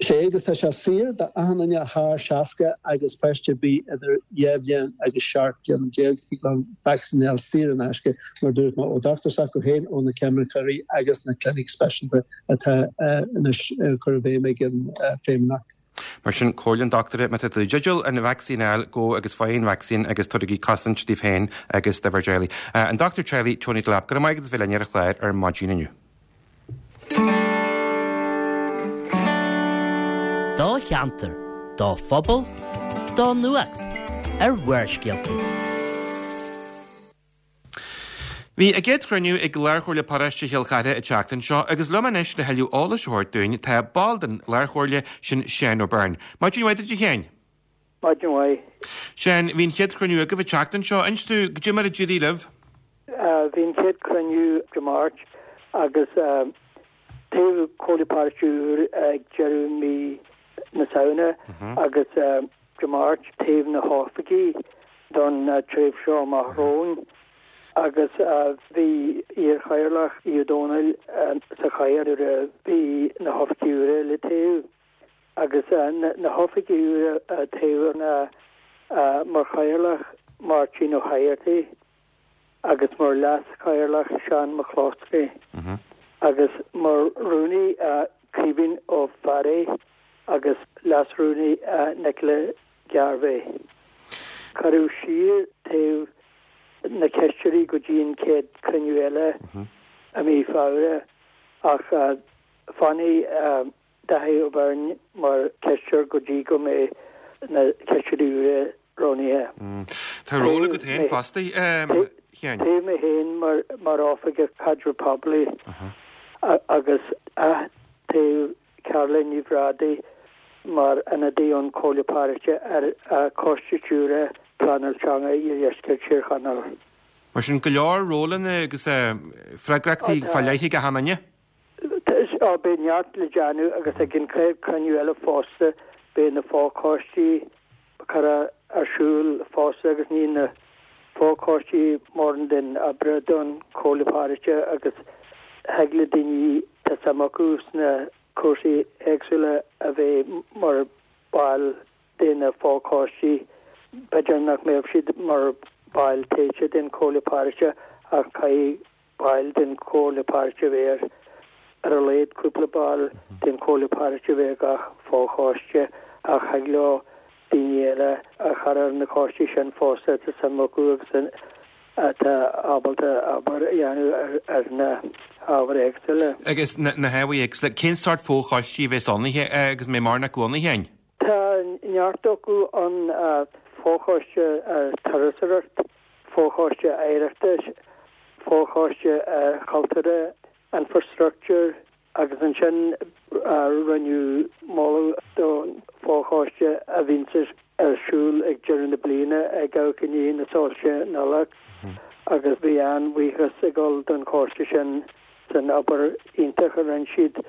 Sea, agus tá sé saor do achan duine thar seasca agus páiste ar bith idir dhá bhliain agus seacht bliana déag. Thig leo an vacsaín a fháil saor in aisce, mar a dúirt mé, ó dochtúir s'acu féin, ó na ceimiceoirí agus na clinic speisialta atá anois á cur i bhfeidhm ag an Feidhmeannacht. Mar sin, comhairle an dochtúra, má tá tú i dteideal an vacsaín a fháil, gabh agus faigh an vacsaín agus tabhairigí cosaint daoibh féin agus do bhur dteaghlaigh. An Dochtúir Teaghlaigh Tony Delap, go raibh maith agat as bheith linn ar an chlár ar maidin inniu. Do cheantar, do phobal, do nuacht ar Bharrscéalta. Bhí a gcéad chruinniú ag Lárchomhairle Paróiste Chill Chartha an tseachtain seo agus liom anois le thuilleadh eolais a thabhairt dúinn tá ball den Lárchomhairle, sin Seán Ó Beirn. Maidin mhaith duit a Sheáin. Maidin mhaith. Seán, bhí an chéad chruinniú agaibh an tseachtain seo. Inis dúinn goidé mar a d'éirigh libh. Bhí an chéad cruinniú Dé Máirt agus toghadh Comhairle Paróiste úr ag deireadh mí na Samhna agus Dé Máirt toghadh na hoifigigh don tréimhse seo amach romhainn agus bhí iar-chathaoirleach Aodh Ó Domhnaill sa chathaoir nuair a bhí na hoifigigh úra le toghadh agus na hoifigigh úra a toghadh ná mar chathaoirleach Máirtín Ó hEigeartaigh agus mar leas-chathaoirleach Seán McCloskey agus mar rúnaí Caoimhín Ó Fearraigh agus leas-rúnaí Nicola Garvey. Cuireadh siar toghadh na cisteoirí go dtí an chéad chruinniú eile i mí Feabhra ach fanfaidh Dáithí Ó Beirn mar chisteoir go dtí go mbeidh na cisteoirí úra roghnaithe. Tá ról agat féin fosta, a Sheáin. Toghadh mé féin mar Oifigeach Caidreamh Poiblí agus ath-toghadh Caroline Ní Bhrádaigh mar ionadaí ón Chomhairle Paróiste ar Choiste Stiúrtha Pleanáil Teanga Iardheisceart Thír Chonaill. Mar sin, go leor rólanna agus freagrachtaí fá leith ag achan duine. Á, beidh neart le déanamh agus ag an chéad chruinniú eile fosta beidh na fochoistí curtha ar siúl fosta agus ní na fochoistí mórán den obair don Chomhairle Paróiste agus thig le daoine tá suim acu sna cúrsaí éagsúla a bheith mar bhaill de na fochoistí. B'fhéidir nach mbeadh siad mar bhaill tofa den Chomhairle Paróiste ach caithfidh baill den Chomhairle Paróiste a bheith ar, ar a laghad cúpla ball den Chomhairle Paróiste a bheith ar gach fochoiste ach thig leo daoine eile a chur ar na coistí sin fosta atá suim acu agus atá ábalta obair a dhéanamh ar, ar na hábhair éagsúla. Agus na, na hábhair éagsúla, cén sórt fochoistí a bheas ann agus mé mar nach gcónaí féin? Tá neart acu an fochoiste turasóireacht, fochoiste oidhreachta, fochoiste cultúrtha, infrastructure agus ansin rinneadh moladh don fochoiste a bhíonns ar siúl ag deireadh na bliana ag amharc i ndiaidh na soilse Nollag agus bhí an-bhuíochas ag dul don choiste sin san obair iontach a rinne siad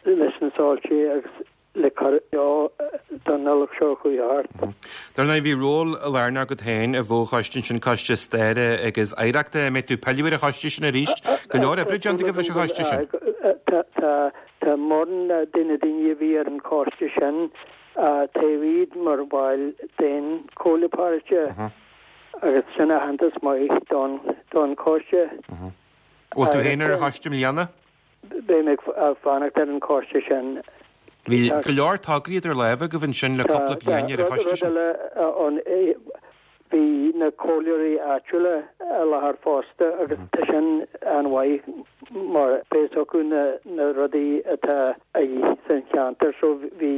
leis na soilse agus le cur leo don Nollaig seo chuaigh thart. Dar ndóigh, bhí ról lárnach agat féin i bhfochoiste ansin, Coiste Staire agus Oidhreachta. An mbeidh tú ag pilleadh ar an choiste sin arís? Go leor oibre déanta agaibh leis an choiste sin. Tá mórán de na daoine a bhí ar an choiste sin, toghadh iad mar bhaill den Chomhairle Paróiste agus sin aitheantas maith don choiste. Bhfuil tú féin ar an choiste i mbliana? Beidh mé ag fanacht ar an choiste sin. Bhí go leor tograí idir lámha agaibh ansin le cúpla bliain ar an choiste sin. Rud eile ann, bhí na comhairleoirí áitiúla i láthair fosta agus tá sin an-mhaith mar beidh fhios acu na rudaí atá a dhíth san cheantar. So bhí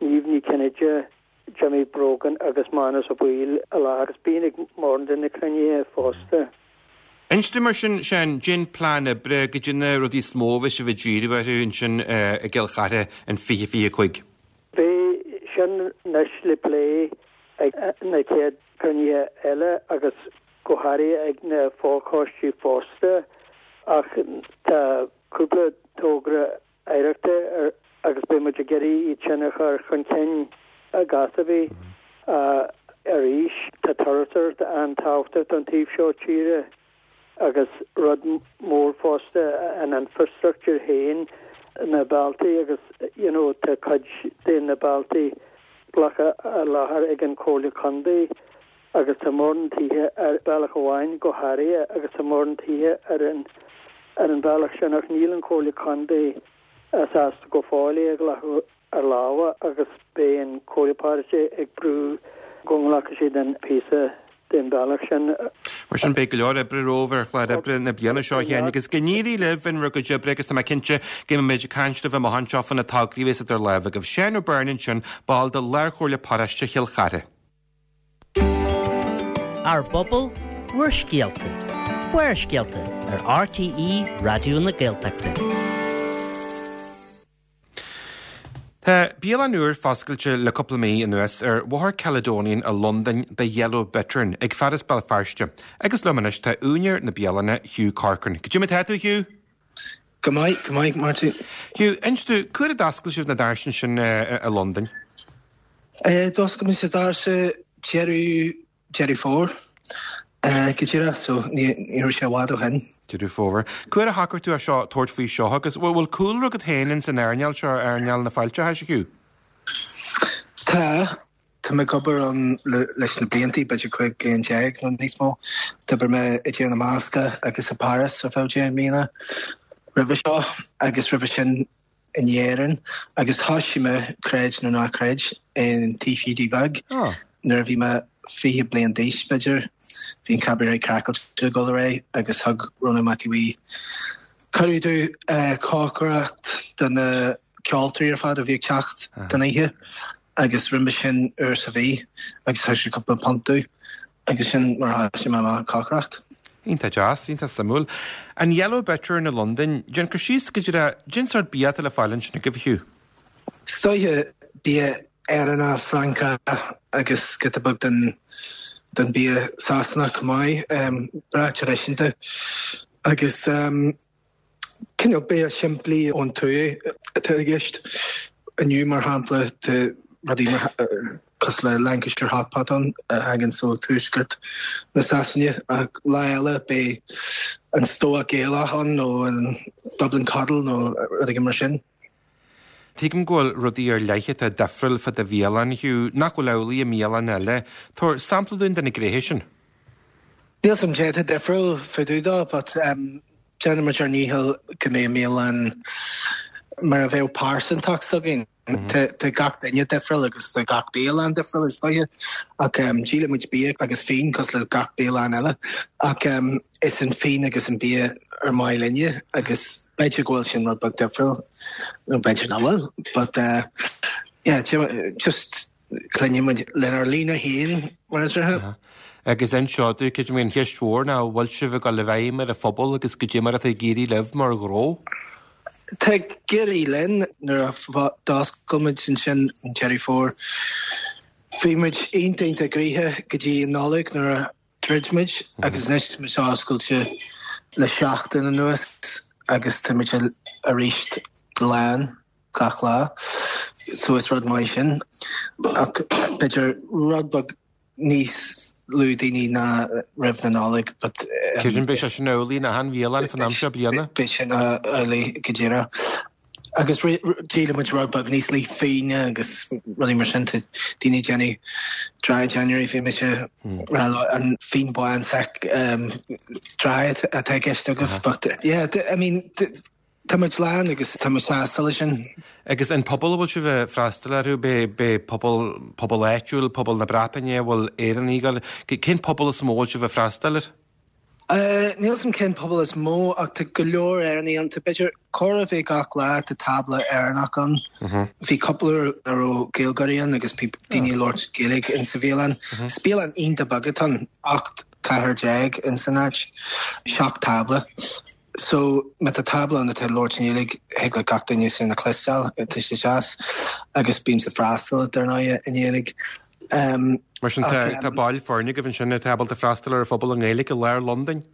Niamh Ní Chinnéide, Jimmy Brogan agus Manus Ó Baoill i láthair agus bíonn ag mórán de na cruinnithe fosta. Inis dom mar sin, Seán, cén plean oibre, goidé na rudaí is mó a bheidh sibh ag díriú orthu ansin i gCill Chartha in fiche fiche cúig? Beidh sin anois le plé ag na chéad chruinnithe eile agus go háirithe ag na fochoistí fosta ach tá cúpla togra oidhreachta agus beidh muid ag iarraidh iad sin a chur chun cinn i gcás ar bith. Arís, tá turasóireacht an-tábhachtach don taobh seo tíre. Agus rud mór fosta an infrastructure féin, na bealtaí agus you know tá cuid de na bealtaí glactha ar láthair ag an Chomhairle Contae agus tá mórán tithe ar bealach amháin go háirithe agus tá mórán tithe ar an ar an bhealach sin ach níl an Chomhairle Contae sásta go fóill é a ghlacadh ar lámha agus beidh an Chomhairle Paróiste ag brú go nglacfaidh siad an píosa den bhealach sin. Mar sin beidh go leor oibre romhaibh ar chlár oibre na bliana seo a Sheáin agus go n-éirí libh in bhur gcuid oibre agus tá mé cinnte go mbeidh muid ag caint libh amach anseo fá na tograí a bheas idir lámha agaibh. Seán Ó Beirn ansin, ball de Lárchomhairle Paróiste Chill Chartha. Ár bpobal, bhur scéalta. Barrscéalta ar RTÉ Raidió na Gaeltachta. Tá bialann úr foscailte le cúpla mí anuas ar Bhóthar Caledonian i Londain, The Yellow Bittern, ag fear as Béal Feirste. Agus liom anois tá úinéir na bialainne, Hugh Corcoran. Goidé mar atá tú, Hugh? Go maith, go maith, Martin. Hugh, inis domh, cá huair a d'oscail sibh na doirse ansin i Londain? D'oscail muid na doirse deireadh Deireadh Fómhair go díreach, so ní raibh sé i bhfad ó shin. Deireadh Fómhair. Cá huair a shocraigh tú é seo, tabhairt faoi seo agus bhfuil cúlra agat féin ins an earnáil seo, earnáil na fáilteachais, a Hugh? Tá. Tá mé ag obair ann leis na blianta, b'fhéidir cúig bliain déag nó níos mó. D'oibir mé i dTír na mBascach agus i Paris ar feadh deich mbliana roimhe seo agus roimhe sin in Éirinn agus thoisigh mé, creid nó ná creid, in Tigh Hiúdaí Bheag nuair a bhí mé fiche bliain d'aois, b'fhéidir. Bhí an Cabaret Craiceáilte ag dul ar aghaidh agus thug Rónán Mac Aodha Bhuí cuireadh domh cócaireacht do na ceoltóirí ar fad a bhí ag teacht don oíche agus rinne mé sin uair sa mhí agus thug sé cúpla punt domh agus sin mar a thoisigh mé amach ag cócaireacht. Iontach deas, iontach suimiúil. An Yellow Bittern i Londain, déan cur síos go díreach, cén sórt bia atá le fáil ansin agaibh, a Hugh? Is dóiche bia Éireannach, Francach agus giota beag den den bia Sasanach chomh maith, breá traidisiúnta agus cineál bia simplí ón tuath atá i gceist. Inniu, mar shampla, tá rudaí cosúil le Lancashire hot pot ann a thagann ó tuaisceart na Sasana ach lá eile beidh an stobhach Gaelach ann nó an Dublin coddle nó rud éigin mar sin. Tuigim go bhfuil rudaí ar leith atá difriúil fá do bhialann, Hugh, nach bhfuil amhlaidh i mbialanna eile. Tabhair sampla dúinn de na gnéithe sin. Níl 's a'm cé atá difriúil fá dtaobh dó but déanann muid ár ndícheall go mbeidh an bhialann mar a bheadh pearsantacht s'againn. Tá gach duine difriúil agus tá gach bialann difriúil is dóiche ach díolann muid bia agus fíon cosúil le gach bialann eile ach is an fíon agus an bia ar maith linne agus b'fhéidir go bhfuil sin rud beag difriúil nó b'fhéidir nach bhfuil but yeah just coinníonn muid lenár líne féin mar is dócha. Agus inis domh, creidim an cheist mhór ná an bhfuil sibh ag dul i bhfeidhm ar an phobal agus goidé mar atá ag éirí libh mar ghnó? Tá ag éirí linn. Nuair a d'oscail muid ansin an Deireadh Fómhair, bhí muid iontach iontach gnoitheach go dtí an Nollaig nuair a dhruid muid agus anois tá muid oscailte le seachtain anuas agus tá muid arís lán gach lá so is rud maith sin ach b'fhéidir rud beag níos lú daoine ná roimh na Nollag but Creidim beidh sé sin amhlaidh in achan bhialann fan am seo bliana. Beidh sin amhlaidh go díreach. Agus díolann muid rud beag níos lú fíona agus rudaí mar sin. Tá daoine ag déanamh dry January, bhí mise rá leo an fíon bán sec dry atá i gceist agaibh but yeah I mean Tá muid lán agus tá muid sásta leis sin. Agus an pobal a bhfuil sibh ag freastal orthu, b'é pobal, pobal áitiúil, pobal na Breataine, an bhfuil Éireannaigh ag dul, cén pobal is mó a bhfuil sibh ag freastal air? Níl 'fhios a'm cén pobal is mó ach tá go leor Éireannaigh ann. Tá b'fhéidir chóir a bheith gach lá tá tábla Éireannach ann. Bhí cúpla uair a raibh Gaeilgeoirí ann agus daoine ag labhairt Gaeilge in sa bhialann. Is bialann iontach beag atá ann, ocht cathaoir déag in san áit, seacht tábla. So má tá tábla ann atá ag labhairt i nGaeilge thig le gach duine sin a chloisteáil, tá sé deas. Agus bímse ag freastal dar ndóigh i nGaeilge. Mar sin tá baill foirne agaibh ansin atá ábalta freastal ar an phobal i nGaeilge i lár Londain?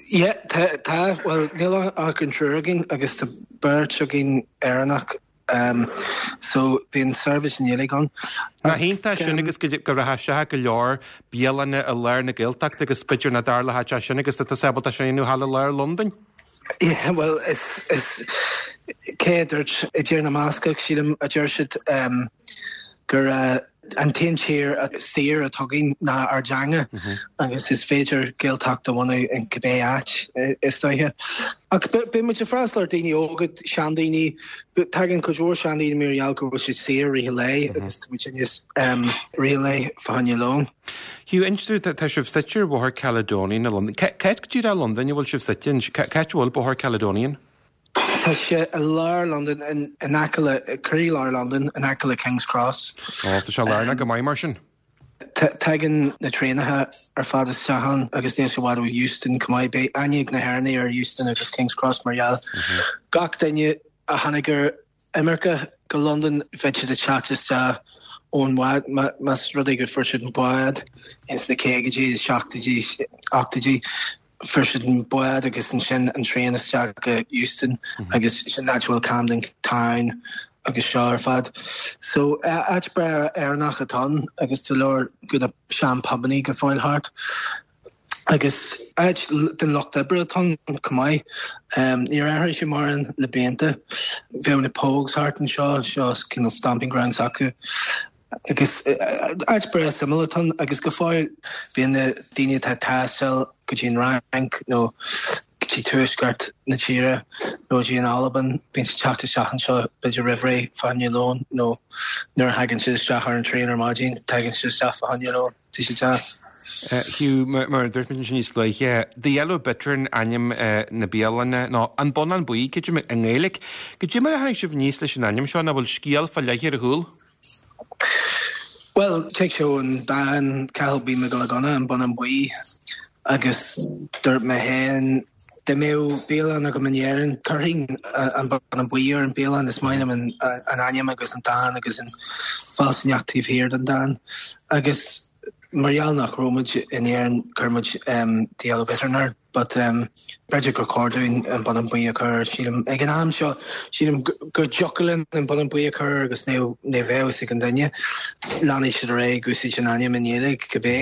Yeah, tá, tá, bhuel níl ach an triúr againn agus tá beirt againn Éireannach um, so bíonn seirbhís i nGaeilge ann. Nach iontach sin agus go rachadh isteach go leor bialanna i lár na Gaeltachta agus b'fhéidir nach dtarlódh sé sin agus tá tusa ábalta sin a dhéanamh thall i lár Londain? Yeah, well is, is cé a dúirt i dTír na mBascach sílim a deir siad um, gur uh, an t-aon tír saor atá againn ná ár dteanga agus is féidir Gaeltacht a bhunú in cibé áit is dóiche. Ach bíonn muid ag freastal ar daoine óga, seandaoine, tagann cuid mhór seandaoine mar gheall go bhfuil siad saor i rith an lae agus tá muid níos um, rith an lae fá choinne lón. Hugh, inis dúinn, tá sibh suite ar Bhóthar Caledonian i Londain. Cá háit go díreach i Londain a bhfuil sibh suite? Cá háit a bhfuil Bóthar Caledonian? Tá sé i lár Londain, in aice le, croílár Londain, in aice le King's Cross. Ó, tá sé lárnach go maith mar sin. Tagann na traenacha ar fad isteach ann agus níl sé i bhfad ó Euston chomh maith. Beidh aithne ag na hÉireannaigh ar Euston agus King's Cross mar gheall gach duine a tháinig ar imirce go Londain bheadh siad ag teacht isteach ón bhád, más rud é go fuair siad an bád ins na caogaidí, seachtóidí, ochtóidí. Fuair siad an bád agus ansin an traein isteach go Euston agus sin áit a bhfuil Camden Town agus seo ar fad. So áit breá Éireannach atá ann agus tá leor de na sean pubannaí go fóill thart. Agus áit den lucht oibre atá ann chomh maith. Níor athraigh sé mórán le blianta. Bheadh na Pogues thart anseo, seo cineál stomping grounds acu. Agus áit breá suimiúil atá ann agus go fóill bíonn na daoine atá ag taisteal go dtí an Fhrainc nó go dtí tuaisceart na tíre nó go dtí an Albain, bíonn siad teacht isteach anseo b'fhéidir roimh ré fá choinne lón nó nuair a thagann siad isteach ar an traein ar maidin, tagann siad isteach fá choinne lón. Tá sé deas. Hugh, mar a dúirt muid ansin níos luaithe, The Yellow Bittern ainm na bialainne, nó An Bonnán Buí, creidim, i nGaeilge. Goidé mar a tháinig sibh aníos leis an ainm seo, nó bhfuil scéal fá leith ar a chúl? Bhuel, tig sé ón dán Cathal Buí Mac Giolla Gunna, An Bonnán Buí, agus dúirt mé féin, dá mbeadh bialann agam in Éirinn, chuirfinn An Bonnán Buí ar an bialann, is maith liom an ainm agus an dán agus an fealsúnacht taobh thiar den dán. Agus mar gheall nach raibh muid in Éirinn, chuir muid The Yellow Bittern air. But b'fhéidir gur chóir dúinn an Bonnán Buí a chur air, sílim. Ag an am seo, sílim go dtiocfadh linn an Bonnán Buí a chur air agus ní bheadh a fhios ag an duine. Leanfaidh siad ar aghaidh ag úsáid an ainm i nGaeilge, cibé.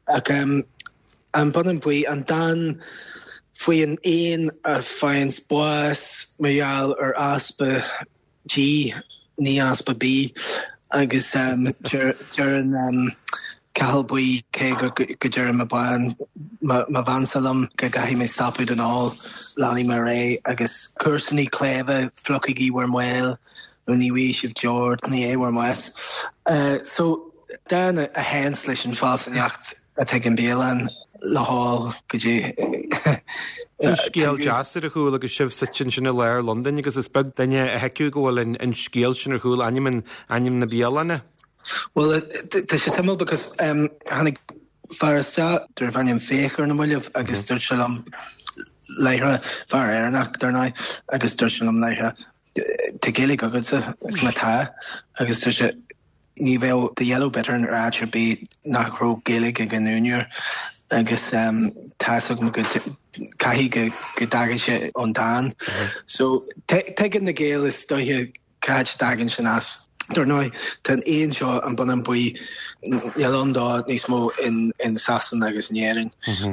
Ach an Bonnán Buí, an dán faoi an éan a faigheann bás mar gheall ar easpa dí, ní easpa bídh, agus deireann Cathal Buí, cé go deireann mo bhean, mo bheansa liom go gcaithfidh mé stopadh den ól, leanfaidh mé ar aghaidh agus comharsanaí cléibhe, fliuchaigí bhur mbéil nó ní bhfaighidh sibh deoir i ndiaidh bhur mbáis. So, dán a théanns leis an bhfealsúnacht atá ag an bialann le hól go dtí. Tá scéal deas ar a chúl agus sibh suite ansin i lár Londain agus is beag duine a thuigfeadh go bhfuil an scéal sin ar chúl ainm ainm na bialainne. Bhuel, tá sé suimiúil because tháinig fear isteach darbh ainm Fiach ar na mallaibh agus dúirt sé liom láithreach, fear Éireannach dar ndóigh, agus dúirt sé liom láithreach, tá Gaeilge agatsa, is má tá, agus dúirt sé, ní bheadh The Yellow Bittern ar áit ar bith nach raibh Gaeilge ag an úinéir agus tá's agam go caithfidh go go dtagann sé ón dán. So tuigeann na Gaeil is dóiche cá háit a dtagann sin as. Dar ndóigh, tá an éan seo, an Bonnán Buí, níl ann dó níos mó in in Sasana agus in Éirinn.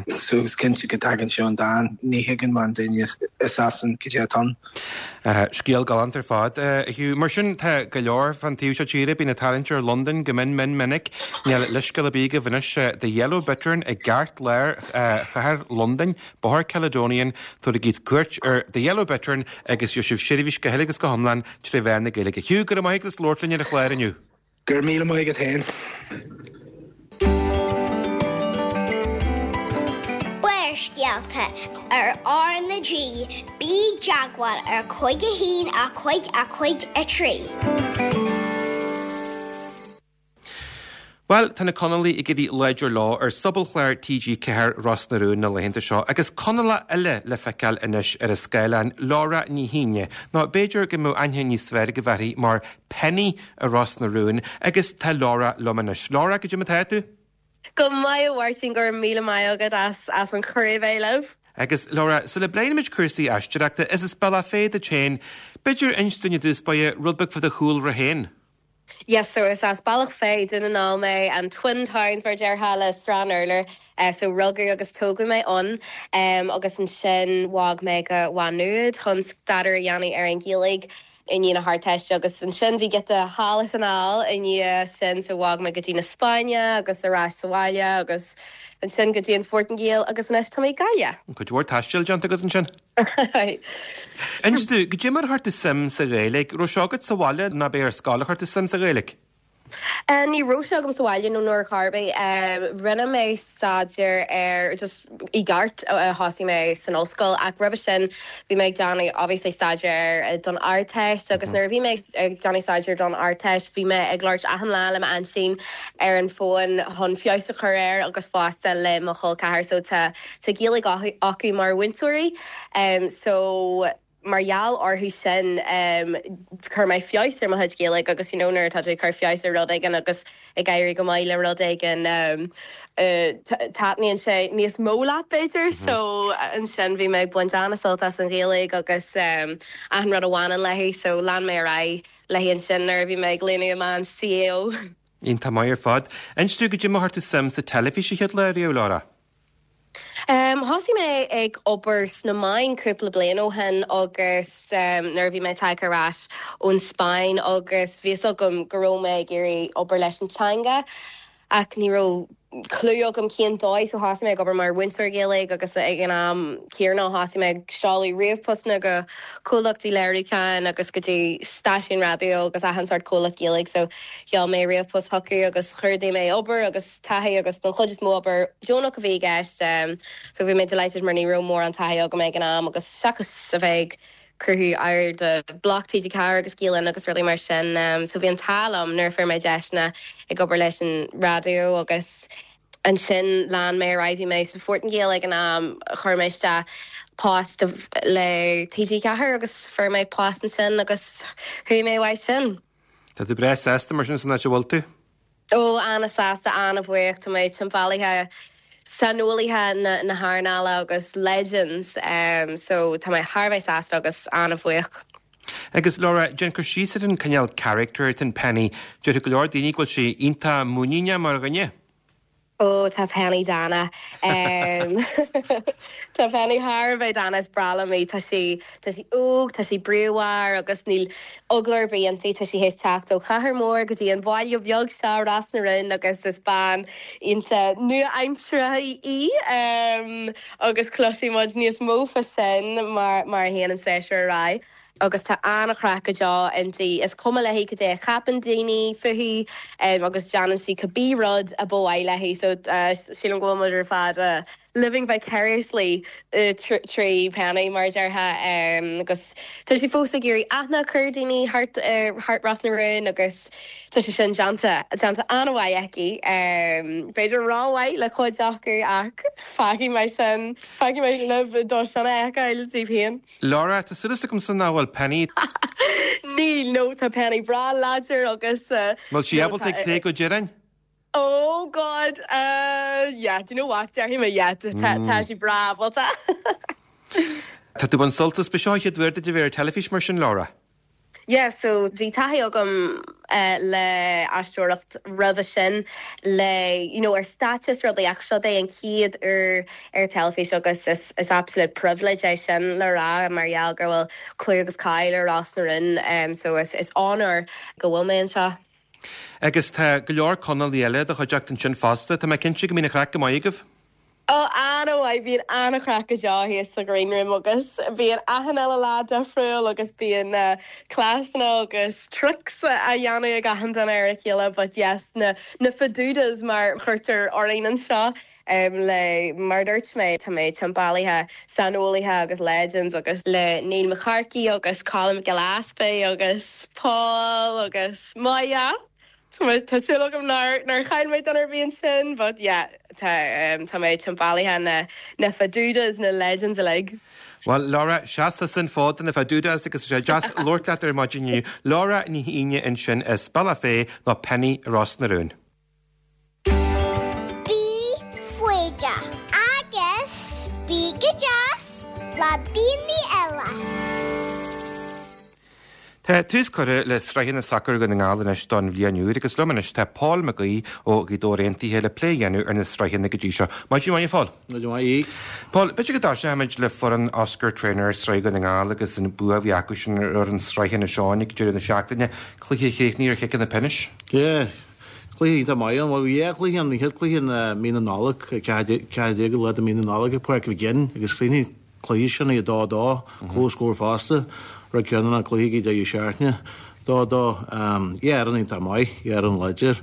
So is cinnte go dtagann sé ón dán. Ní thuigeann mórán duine i Sasain cad é atá ann. Scéal galánta ar fad, a Hugh. Mar sin, tá go leor fan taobh seo tíre, bíonn ag tarraingt ar Londain go mion mion minic. Níl leithscéal ar bith agaibh anois. The Yellow Bittern i gceartlár chathair Londain, Bóthar Caledonian, tabhairigí cuairt ar The Yellow Bittern agus gheobhaidh sibh seirbhís go huile agus go hiomlán tré mheán na Gaeilge. Hugh, go raibh maith agat as labhairt linn ar an chlár inniu. Go raibh míle maith agat féin. Barrscéalta. Barrscéalta ar R na G, bí i dteagmháil ar cúig a haon a cúig a cúig a trí. Bhuel, tá na Conallaigh ag éirí láidir leo ar sobalchlár T G Ceathair Ros na Rún na laethanta seo agus Conallach eile le feiceáil anois ar an scáileán, Laura Ní hAoine, nó b'fhéidir go mbeadh aithne níos fearr agaibh uirthi mar Penny i Ros na Rún, agus tá Laura liom anois. Laura, goidé mar atá tú? Go maith, a Mháirtín, go raibh míle maith agat as as an chuireadh bheith libh. Agus Laura, sula bpléimid cúrsaí aisteoireachta, is as Bealach Féich duit féin, b'fhéidir inis dúinn i dtús báire rud beag fá do chúlra féin. Yes, so is as Bealach Féich, Dún na nGall mé, an Twin Towns mar déarfá le Srath an Urláir, uh, so rugadh agus tógadh mé ann um, agus ansin bhog mé go Maigh Nuad chun staidéar a dhéanamh ar an Ghaeilge i ndiaidh na hArdteiste agus ansin bhí giota thall is anall i ndiaidh sin, so bhog mé go dtí na Spáinne agus ar ais sa bhaile agus ansin go dtí an Phortaingéil agus anois tá mé i Gaillimh. Cuid mhór taistil déanta agat ansin? Inis dom, goidé mar a chuir tú suim sa Ghaeilge, raibh seo agat sa bhaile nó ab é ar scoil a chuir tú suim sa Ghaeilge? Uh, ní raibh sé agam sa bhaile nó nuair charbé um, rinne mé staidéar ar just i gceart uh, thosaigh mé san ollscoil ach roimhe sin bhí mé ag déanamh obviously staidéar uh, don Ardteist agus nuair a bhí mé ag déanamh staidéar don Ardteist bhí mé ag labhairt achan lá le m'aintín ar an bhfón chun feabhas a chur air agus fosta le mo chol ceathar, so tá tá Gaeilge acu mar mhúinteoirí um, so mar gheall orthu sin um, chuir mé feabhas ar mo chuid Gaeilge agus you know, nuair atá tú chur feabhas ar rud éigin agus ag éirí go maith le rud éigin um, uh, taitníonn sé níos mó leat b'fhéidir, mm -hmm. so ansin bhí mé ag baint an-sult as an Ghaeilge agus um, achan rud a bhaineann léi, so lean mé ar aghaidh léi ansin nuair a bhí mé ag léamh amach an C A O. Iontach maith ar fad. Inis dom goidé mar a chuir tú suim sa teilifís an chéad lá riamh, Laura? Um, Thosaigh mé ag obair sna meáin cúpla bliain ó shin agus um, nuair a bhí mé tagtha ar ais ón Spáinn agus bhí agam go raibh mé ag iarraidh obair leis an teanga ach ní raibh clue agam cén dóigh, so thosaigh mé ag obair mar mhúinteoir Gaeilge agus ag an am céanna thosaigh mé ag seoladh ríomhphostanna go comhlachtaí léiriúcháin agus go dtí stáisiún raidió agus achan sórt comhlacht Gaeilge, so sheol mé ríomhphost chucu agus chuardaigh mé obair agus taithí agus don chuid is mó obair deonach a bhí i gceist um, so bhí mé delighted mar ní raibh mórán taithí agam ag an am agus seachas a bheith cruthú ar de block T G Ceathair agus Gael agus rudaí mar sin um, so bhí an t-ádh liom nuair fuair mé deiseanna ag obair leis an raidió agus ansin lean mé ar aghaidh. Bhí mé sa Phortaingéil ag an am, chuir mé isteach post le T G Ceathair agus fuair mé post ansin agus chuaigh mé uaidh sin. Tá tú breá sásta mar sin san áit a bhfuil tú? Ó, an-sásta, an-bhuíoch. Tá mé timpeallaithe saineolaithe na, na hearnála agus legends um, so tá mé thar bheith sásta agus an-bhuíoch. Agus Laura, déan cur síos ar an cineál character atá in Penny, deir go leor daoine go bhfuil sé iontach muiníneach mar dhuine. Ó, tá Penny dána. Um, tá Penny thar bheith dána. Is breá liom í. Tá sí tá sí óg, tá sí bríomhar agus níl eagla ar bith inti. Tá sí théis teacht ó chathair mór go dtí an bhaile bheag seo Ros na Rún agus is bean iontach nua-aimseartha í um, agus cloisfidh muid níos mó faoi sin mar mar a théann an séasúr ar aghaidh. Agus tá an-chraic go deo inti. Is cuma léi cad é a cheapann daoine fúithi um, agus déanann sí cibé rud a ba mhaith léi, so uh, sílim go bhfuil muid ar fad uh, living vicariously uh, trí Penny mar déarfá um, agus tá sí fós ag iarraidh aithne a chur daoine thart uh, thart Ros na Rún agus tá sé sin déanta déanta an-mhaith aici um, b'fhéidir rómhaith le cuid acu ach fágfaidh mé sin fágfaidh mé libh dó sin a fheiceáil daoibh féin. Laura, tá súil agam san nach bhfuil Penny. Níl, nó tá Penny breá láidir agus uh, Bhfuil sí ábalta ag plé go deireadh? Oh God, uh, yeah, do you know what? Déarfaidh mé yeah, tá tá sí breá ábalta. Tá tú an sultas be seo chéad uair duit a bheith ar teilifís mar sin, Laura? Yeah, so bhí taithí agam uh, le aisteoireacht roimhe sin le you know, ar stáitse rudaí ach seo é an chéad uair ar teilifís agus is, is absolute privilege é sin le rá mar gheall go bhfuil clú agus cáil ar Ros na Rún um, so is, is honor go bhfuil mé anseo. Agus tá go leor Conallaigh eile i do chuideachta ansin fosta, tá mé cinnte go mbíonn an chraic go maith agaibh? Ó, an-mhaith. Bíonn an-chraic go deo thíos sa green room agus bíonn achan uile lá difriúil agus bíonn uh, cleasanna agus tricks a dhéanamh ag achan duine ar a chéile, but yes, na na fadudas mar chuirtear orainn anseo. um, le mar dúirt mé tá mé timpeallaithe saineolaithe agus legends agus le Neil McCarthy agus Colin Gillespie agus Paul agus Maya. Tá súil agam nár nár chaill mé duine ar bith ansin, but yeah, tá um, tá mé timpeallaithe na na fadudas na legends uilig. Well Laura seas san fód na fadudas agus sé deas labhairt leat ar maidin inniu. Laura Ní hAoine ansin as Bealach Féich nó Penny Ros na Rún. Bí foighdeach agus bí go deas le daoine eile. Tá tús curtha le sraitheanna sacair Dhún na nGall anois don bhliain úr agus liom anois tá Paul Mac Aoidh ó Ghaoth Dobhair Aontaithe le plé a dhéanamh ar na sraitheanna go dtí seo. Maidin mhaith Paul. Maidin mhaith. Paul, b'fhéidir go dtosóimid le foireann Oscar Traynor Sraith Dhún na nGall agus an bua a bhí acu sin ar an Sraith Inis Eoghain ag deireadh na seachtaine, cluiche a chríochnaigh ar chiceanna pionóis. Yeah. Cluiche iontach maith an bhí cluiche an chéad cluiche mí na Nollag ceathair déag lá de mí na Nollag ag Páirc Mhic Fhinn agus chríochnaigh cluiche sin i dá dó comhscór fosta rud ceann an cluiche deireadh seachtaine dá dó yeah an iontach maith yeah an láidir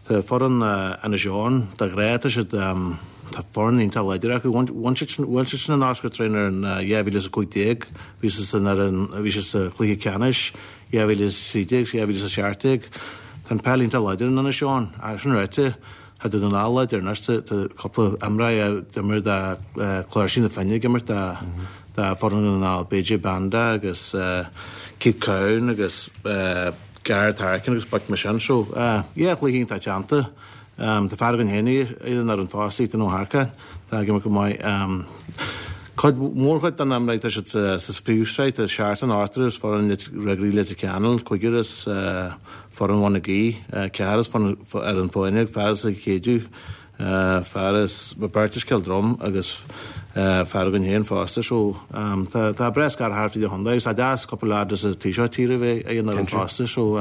Tá foireann Inis Eoghain de ghnáth tá siad tá foireann iontach láidir acu bhain siad sin an Oscar Traynor in dhá mhíle is a cúig déag bhí siad san ar an bhí siad sa chluiche ceannais dhá mhíle is a trí déag dhá mhíle is a seacht déag Tá an peil iontach láidir in Inis Eoghain ach sin ráite tá Dún na nGall láidir anois tá cúpla imreoir a d'imir do Chláirsigh na Finne ag imirt do do foireann Dhún na nGall BJ Banda agus Keith Cowan agus Gareth Harkin agus boic mar sin so yeah cluiche iontach teannta Tá fear againn féin ar an fosta Ethan Ó hEarcáin tá ag imirt go maith Cuid mórchuid den imreoirí tá siad sa phríomhshraith tá seachtar in ochtar as foireann Ruagairí Leitir Ceanainn cúigear as foireann Bhun na Gaoithe ceathrar as ar an Fáinne fear as an Chéideadh fear as beirt as Cill Drom agus fear againn féin fosta so tá tá breis gar thart fríd an chontae agus tá deas cúpla leaid as an taobh seo tíre bheith ag an ar fosta so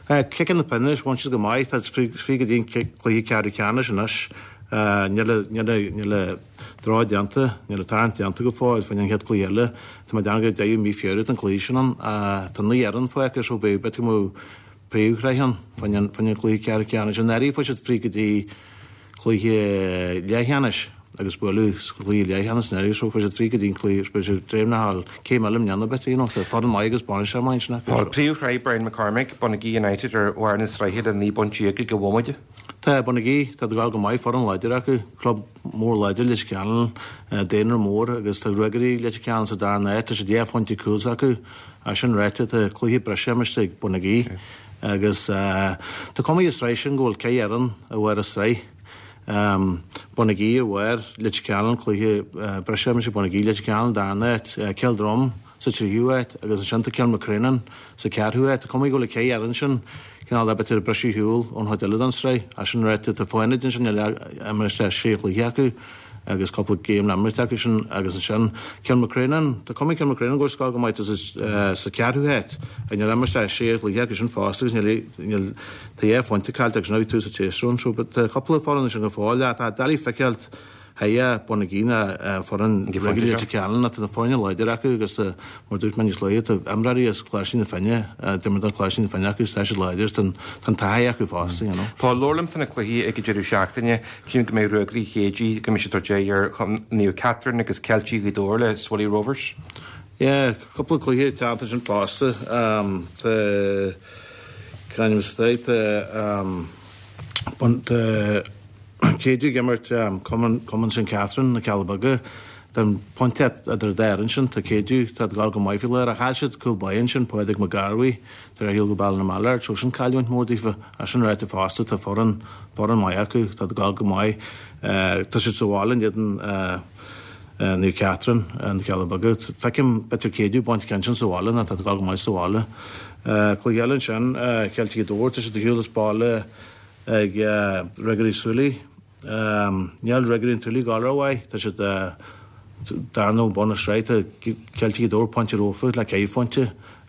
ciceanna pionóis bhain siad go maith tá fríd go dtí an cluiche ceathrú ceannais anois níl níl draw déanta níl tarraingt déanta go fóill faoin an chéad cluiche eile Tá mé ag déanamh gur deireadh mí Feabhra an cluiche sin ann tá naoi fhoireann fágtha so beidh b'fhéidir go mbeadh príomhshraith ann faoin an faoin an cluiche ceathrú ceannais anuraidh fuair siad fríd go dtí cluiche leathcheannais agus bualadh sa chluiche leathcheannais anuraidh so fuair siad fríd go dtí an cluiche beidh siad dréimneach céim eile i mbliana b'fhéidir you know tá foireann maith agus bainisteoir maith ansin acu. Tá príomhshraith Brian McCormick, Bonagee United ar bharr na sraithe le naoi bpointe ag an bhomaite. Tá Bonagee tá ag gabháil go maith foireann láidir acu club mór láidir Leitir Ceanainn daonra mór agus tá Ruagairí Leitir Ceanainn sa dara háit tá siad dhá phointe cúl s'acu as sin ráite tá cluiche breise imeartha ag Bonagee agus tá cuma ar an tsraith sin go bhfuil ceithre fhoireann ar bharr an tsraith. Um, Bonagee ar bharr Leitir Ceanainn cluiche breise imeartha Bonagee Leitir Ceanainn dara háit Cill Drom sa tríú háit agus ansin tá Kilmacrennan sa ceathrú háit. Tá cuma go bhfuil ceithre fhoireann sin cineál de b'fhéidir briseadh ar shiúl ón chuid eile den tsraith as sin ráite tá Fánaid ansin imeartha sé chluiche acu agus cúpla game le imirt acu sin agus ansin Kilmacrennan tá cuma Kilmacrennan go scoil go maith sa ceathrú háit a níl imeartha sé chluiche acu sin fosta agus níl níl tá dhá phointe caillte agus ná tú sa tséasúr so but tá cúpla foireann sin go fóill tá doiligh feiceáilt Heia Bonagee na foireann Ruagairí Leitir Ceanainn tá na foirne láidir acu agus mar dúirt mé níos luaithe tá imreoirí as Cláirsigh na Finne d'imir do Chláirsigh na Finne acu tá siad láidir tá an taithí acu fosta you know. Paul labhair liom faoi na cluichí ag an deireadh seachtaine tchím go mbeidh Ruagairí Chéide go mbeidh siad ag tabhairt aghaidh ar Naomh Catherine agus Ceiltigh Ghaoth Dobhair le Swilly Rovers. Yeah, cúpla cluiche teannta sin fosta um, tá Canim State um, tá Céideadh ag imirt Cumann Cumann St Catherine na Cealla Beaga Tá pointe idir dá fhoireann sin tá Céideadh tá ag gabháil go maith faoi láthair ach chaill siad cúl báire ansin Pádraig Mac Garbhaigh tar éis go Baile na Mallard so sin cailliúint mór daofa as sin ráite fosta tá foireann foireann maith acu tá ag gabháil go maith tá siad sa bhaile in éadan Naomh Catherine na Cealla Beaga feicim b'fhéidir Céideadh baint ceann sin sa bhaile ná tá ag gabháil go maith sa bhaile Cluiche eile ansin Ceiltigh Ghaoth Dobhair tá siad ar shiúl as baile ag Ruagairí Súilí Níl Ruagairí an tSúilí ag gabháil rómhaith tá siad darna ó bun na sraithe tá Ceiltigh Ghaoth Dobhair pointe rófa le ceithre phointe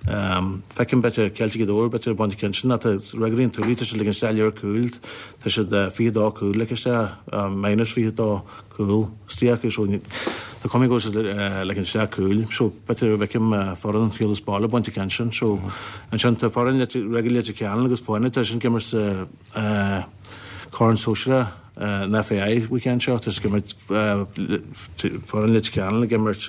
Feicim b'fhéidir Ceiltigh Ghaoth Dobhair b'fhéidir baint ceann sin tá Ruagairí an tSúilí tá siad ligean isteach lear cúil tá siad fiche dó cúl ligthe isteach minus fiche dó cúl istigh acu so tá cuma go bhfuil siad ligean isteach cúil so b'fhéidir feicim foireann shiúl as baile baint ceann sin so ansin tá foireann Ruagairí Leitir Ceanainn agus Fáinne tá sin ag imirt sa Corn Sóisearach an FAI weekend seo tá siad ag imirt foireann Leitir Ceanainn ag imirt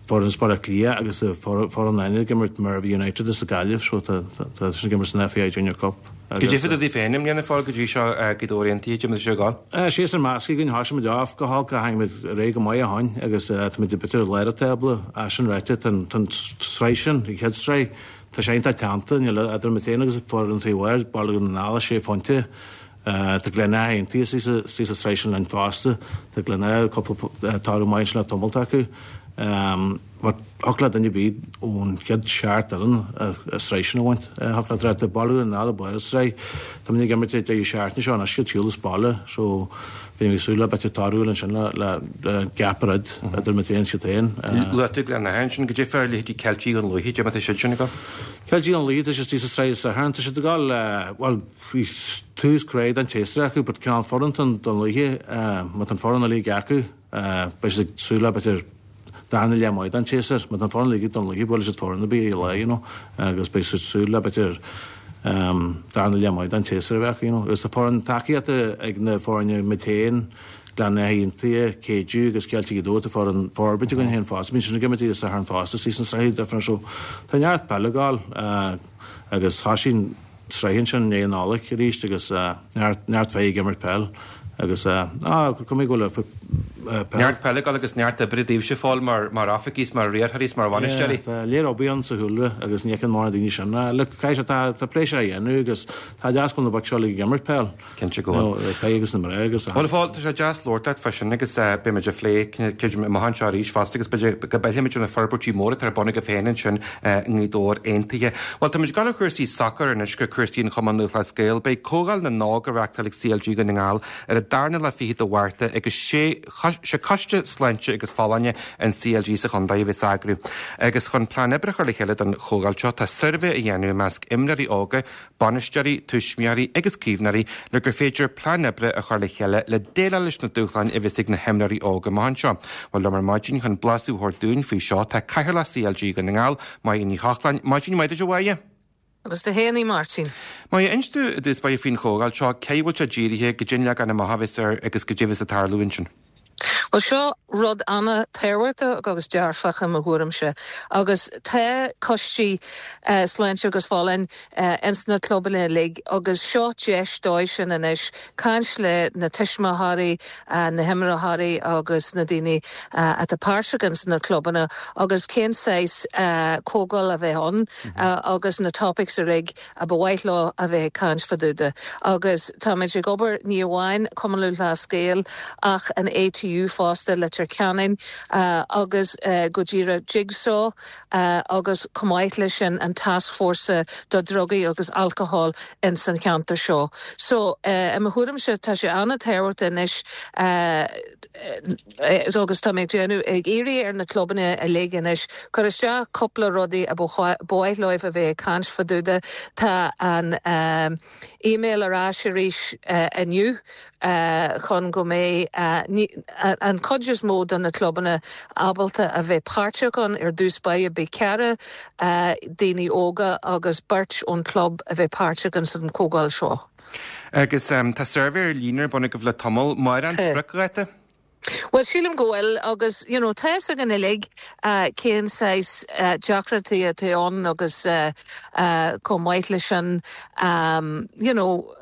foireann Baile Átha Cliath agus foireann eile ag imirt Mervey United as Gaillimh so tá tá siad ag imirt san FAI Junior Cup. Goidé fá dtaobh daoibh féin i mbliana a Phóil go dtí seo Gaoth Dobhair Aontaithe cad é mar atá sé ag gabháil. Séasúr measctha againn thosaigh muid off go holc ach tháinig muid ar aghaidh go maith ó shin agus táimid b'fhéidir i lár an tábla é sin ráite tá an sraith sin an chéad sraith tá sé iontach teannta níl idir muid féin agus foireann taobh thoir Baile Dhún na nGall sé phointe. Tá Gleann Átha Aontaithe istigh sa sraith sin linn fosta. Tá Gleann Átha cúpla toradh maith ansin le tamalt acu. But thiocfadh le duine ar bith ón chéad seacht fhoireann an sraith sin a bhaint. Thiocfadh le tá Baile Dhún na nGall i mbarr an sraith. Tá muid ag imirt ag deireadh seachtaine seo anois ag siúl as baile so bhí mé ag súil le b'fhéidir toradh ansin le le gap a dhruid idir muid féin is iad féin. Luaigh tú Gleann Átha ansin goidé fá leithéidí Ceiltigh Dhún Lúiche, cad é mar atá siad sin ag dul. Ceiltigh Dhún Lúiche tá siad istigh sa sraith an Satharn tá siad ag dul bhuel bhí tús crua don tséasúr acu but cineál foireann Dún Lúiche má tá an foireann uilig acu beidh siad ag súil le b'fhéidir darna leath maith den tséasúr. Má tá an foireann uilig ag Dún Lúiche buailfidh siad foireann ar bith ar lá you know agus beidh siad ag súil le b'fhéidir darna leath maith den tséasúr a bheith acu you know. Agus tá foireann tacaíochta ag na foirne muid féin, Gleann Átha Aontaithe, Keadue agus Ceiltigh Ghaoth Dobhair, tá foireann Forbairt againn féin fosta. Bíonn siad ag imirt an Satharn fosta istigh san sraith difriúil so tá neart peile ag gabháil agus thosaigh an sraith ansin i ndiaidh na Nollag arís agus neart neart fear ag imirt peil agus á cuma go bhfuil peil. Neart peile ag gabháil agus neart oibre daoibhse a Phóil mar mar oifigigh is mar riarthóirí is mar bhainisteoirí. Yeah, tá léir obair ann sa chúlra agus ní fheiceann mórán daoine sin. Look, caithfidh sé tá tá pléisiúr á dhéanamh agus tá deas go bhfuil na boic seo uilig ag imirt peil. Cinnte go bhfuil. Na fir agus na mná agus. Bhuel a Phóil, tá sé deas labhairt leat fá sin agus beidh muid ag plé creidim amach anseo arís fosta agus b'fhéidir go bpléifimid ar na forbairtí móra atá ar bun agaibh féin ansin i nGaoth Dobhair Aontaithe. Bhuel, táimid ag dul ó chúrsaí sacair anois go cúrsaí an Chumann Lúthchleas Gael. Beidh Comhdháil na nÓg á reachtáil ag CLG Dhún na nGall ar an darna lá fichead de Mhárta agus sé sé Coiste Sláinte agus Folláine an CLG sa chontae a bheas á eagrú. Agus chun plean oibre a chur le chéile don chomhdháil seo, tá suirbhé á dhéanamh i measc imreoirí óga, bainisteoirí, tuismitheoirí agus caomhnóirí le gur féidir plean oibre a chur le chéile le déileáil leis na dúshláin a bheas ag na himreoirí óga amach anseo. Bhuel, liom ar maidin chun blaiseadh a thabhairt dúinn faoi seo tá Cathaoirleach CLG Dhún na nGall, Máire Ní Chochláin. Maidin mhaith duit a Mháire. Agus duit fhéin a Mháirtín. Máire, inis dúinn i dtús báire faoin chomhdháil seo, cé a bhfuil sé dírithe, goidé an leagan amach a bheas air agus goidé a bheas ag tarlú ansin. Bhuel seo rud an-tábhachtach agus dearfach i mo thuairimse agus tá coistí sláinte agus folláine ins na clubanna uilig agus seo deis dóibh sin anois caint le na tuismitheoirí, na himreoirí agus na daoine atá páirteach ins na clubanna agus cén saghas comhdháil a bheith ann agus na topics uilig a ba mhaith leo a bheith ag caint fá dtaobh de. Agus táimid ag obair ní amháin Cumann Lúthchleas Gael ach an ATU fosta, Leitir Ceanainn agus go díreach Jigsaw agus chomh maith leis sin an Tascfhórsa do Drugaí agus Alcohol ins an cheantar seo. So i mo thuairimse tá sé an-tábhachtach anois agus tá mé ag déanamh ag iarraidh ar na clubanna uilig anois cur isteach cúpla rudaí a ba mhaith leo a bheith ag caint fá dtaobh de. Tá an email ar ais arís inniu chun go mbeidh an chuid is mó de na clubanna ábalta a bheith páirteach ann ar dtús báire. Beidh ceithre daoine óga agus beirt ón club a bheith páirteach ins an chomhdháil seo. Agus tá suirbhé ar líne ar bun agaibh le tamall. Máire, an spriocdháta? Bhuel, sílim go bhfuil agus, you know, tá fhios againn uilig cén saghas deacrachtaí atá ann agus chomh maith leis sin, you know,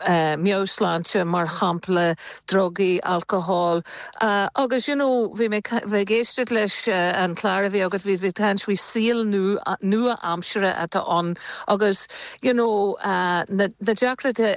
meabhairshláinte mar shampla, drugaí, alcohol agus, you know, bhí mé bhí ag éisteacht leis an chlár a bhí agat, bhí bhí caint faoi saol nua-aimseartha atá ann agus, you know, na na deacrachtaí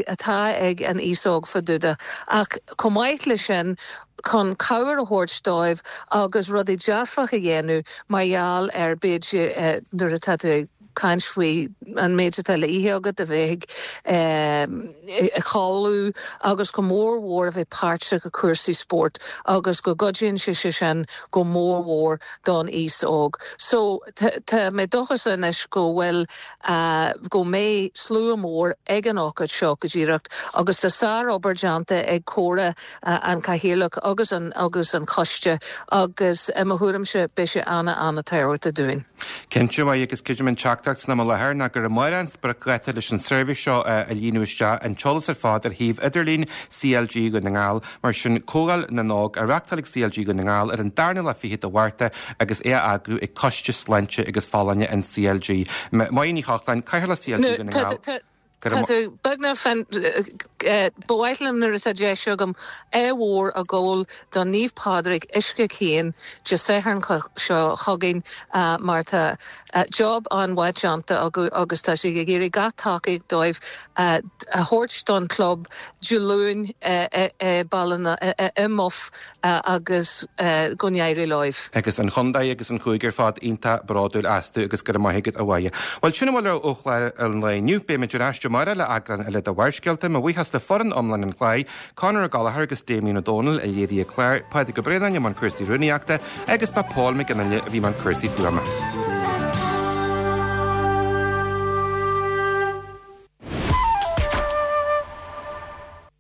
atá ag an aos óg fá dtaobh de ach chomh maith leis sin chun cabhair a thabhairt dóibh agus rudaí dearfach a dhéanamh mar gheall ar b'fhéidir nuair atá tú ag caint faoi an méid atá le ithe agat, a bheith ag codladh agus go mór mhór a bheith páirteach i cúrsaí spóirt agus go gcuidíonn sé sé sin go mór mhór don aos óg. So tá mé dóchasach anois go bhfuil go mbeidh slua mór ag an ócáid seo go díreach agus tá sárobair déanta ag Córa an Cathaoirleach agus an agus an coiste agus i mo thuairimse beidh sé an-an-tábhachtach dúinn. Cinnte, agus creidim an teachtaireacht teachtaireacht san am i láthair ná gur amárach an spriocdháta leis an suirbhé seo a líonadh isteach, an t-eolas ar fad ar shuíomh idirlín CLG Dhún na nGall. Mar sin, Comhdháil na nÓg á reáchtáil ag CLG Dhún na nGall ar an darna lá fichead de Mhárta agus é á eagrú ag Coiste Sláinte agus Folláine an CLG. Máire Ní Chochláin, Cathaoirleach CLG Dhún na nGall. Tá tú beagnach fan ba mhaith liom nuair atá deis agam ádh mhór a ghabháil do Naomh Pádraig Uisce Chaoin Dé Sathairn seo chugainn mar tá job an-mhaith déanta acu agus tá siad ag iarraidh gach tacaíocht dóibh a thabhairt don chlub Dé Luain i Baile i mBoth agus go n-éirí leo. Agus an chontae agus an cúigear fad iontach bródúil astu agus go raibh maith agat a Mháire. Bhuel sin a bhfuil ó chlár an lae inniu, beimid ar ais amárach le eagrán eile de Bharrscéalta, mo bhuíochas le foireann iomlán an chláir, Conor Ó Gallchóir agus Damien Ó Dónaill a léirigh an clár, Pádraig Ó Braonáin i mbun cúrsaí rúnaíochta agus ba Paul Mac Fhionnghaile a bhí i mbun cúrsaí fuaime.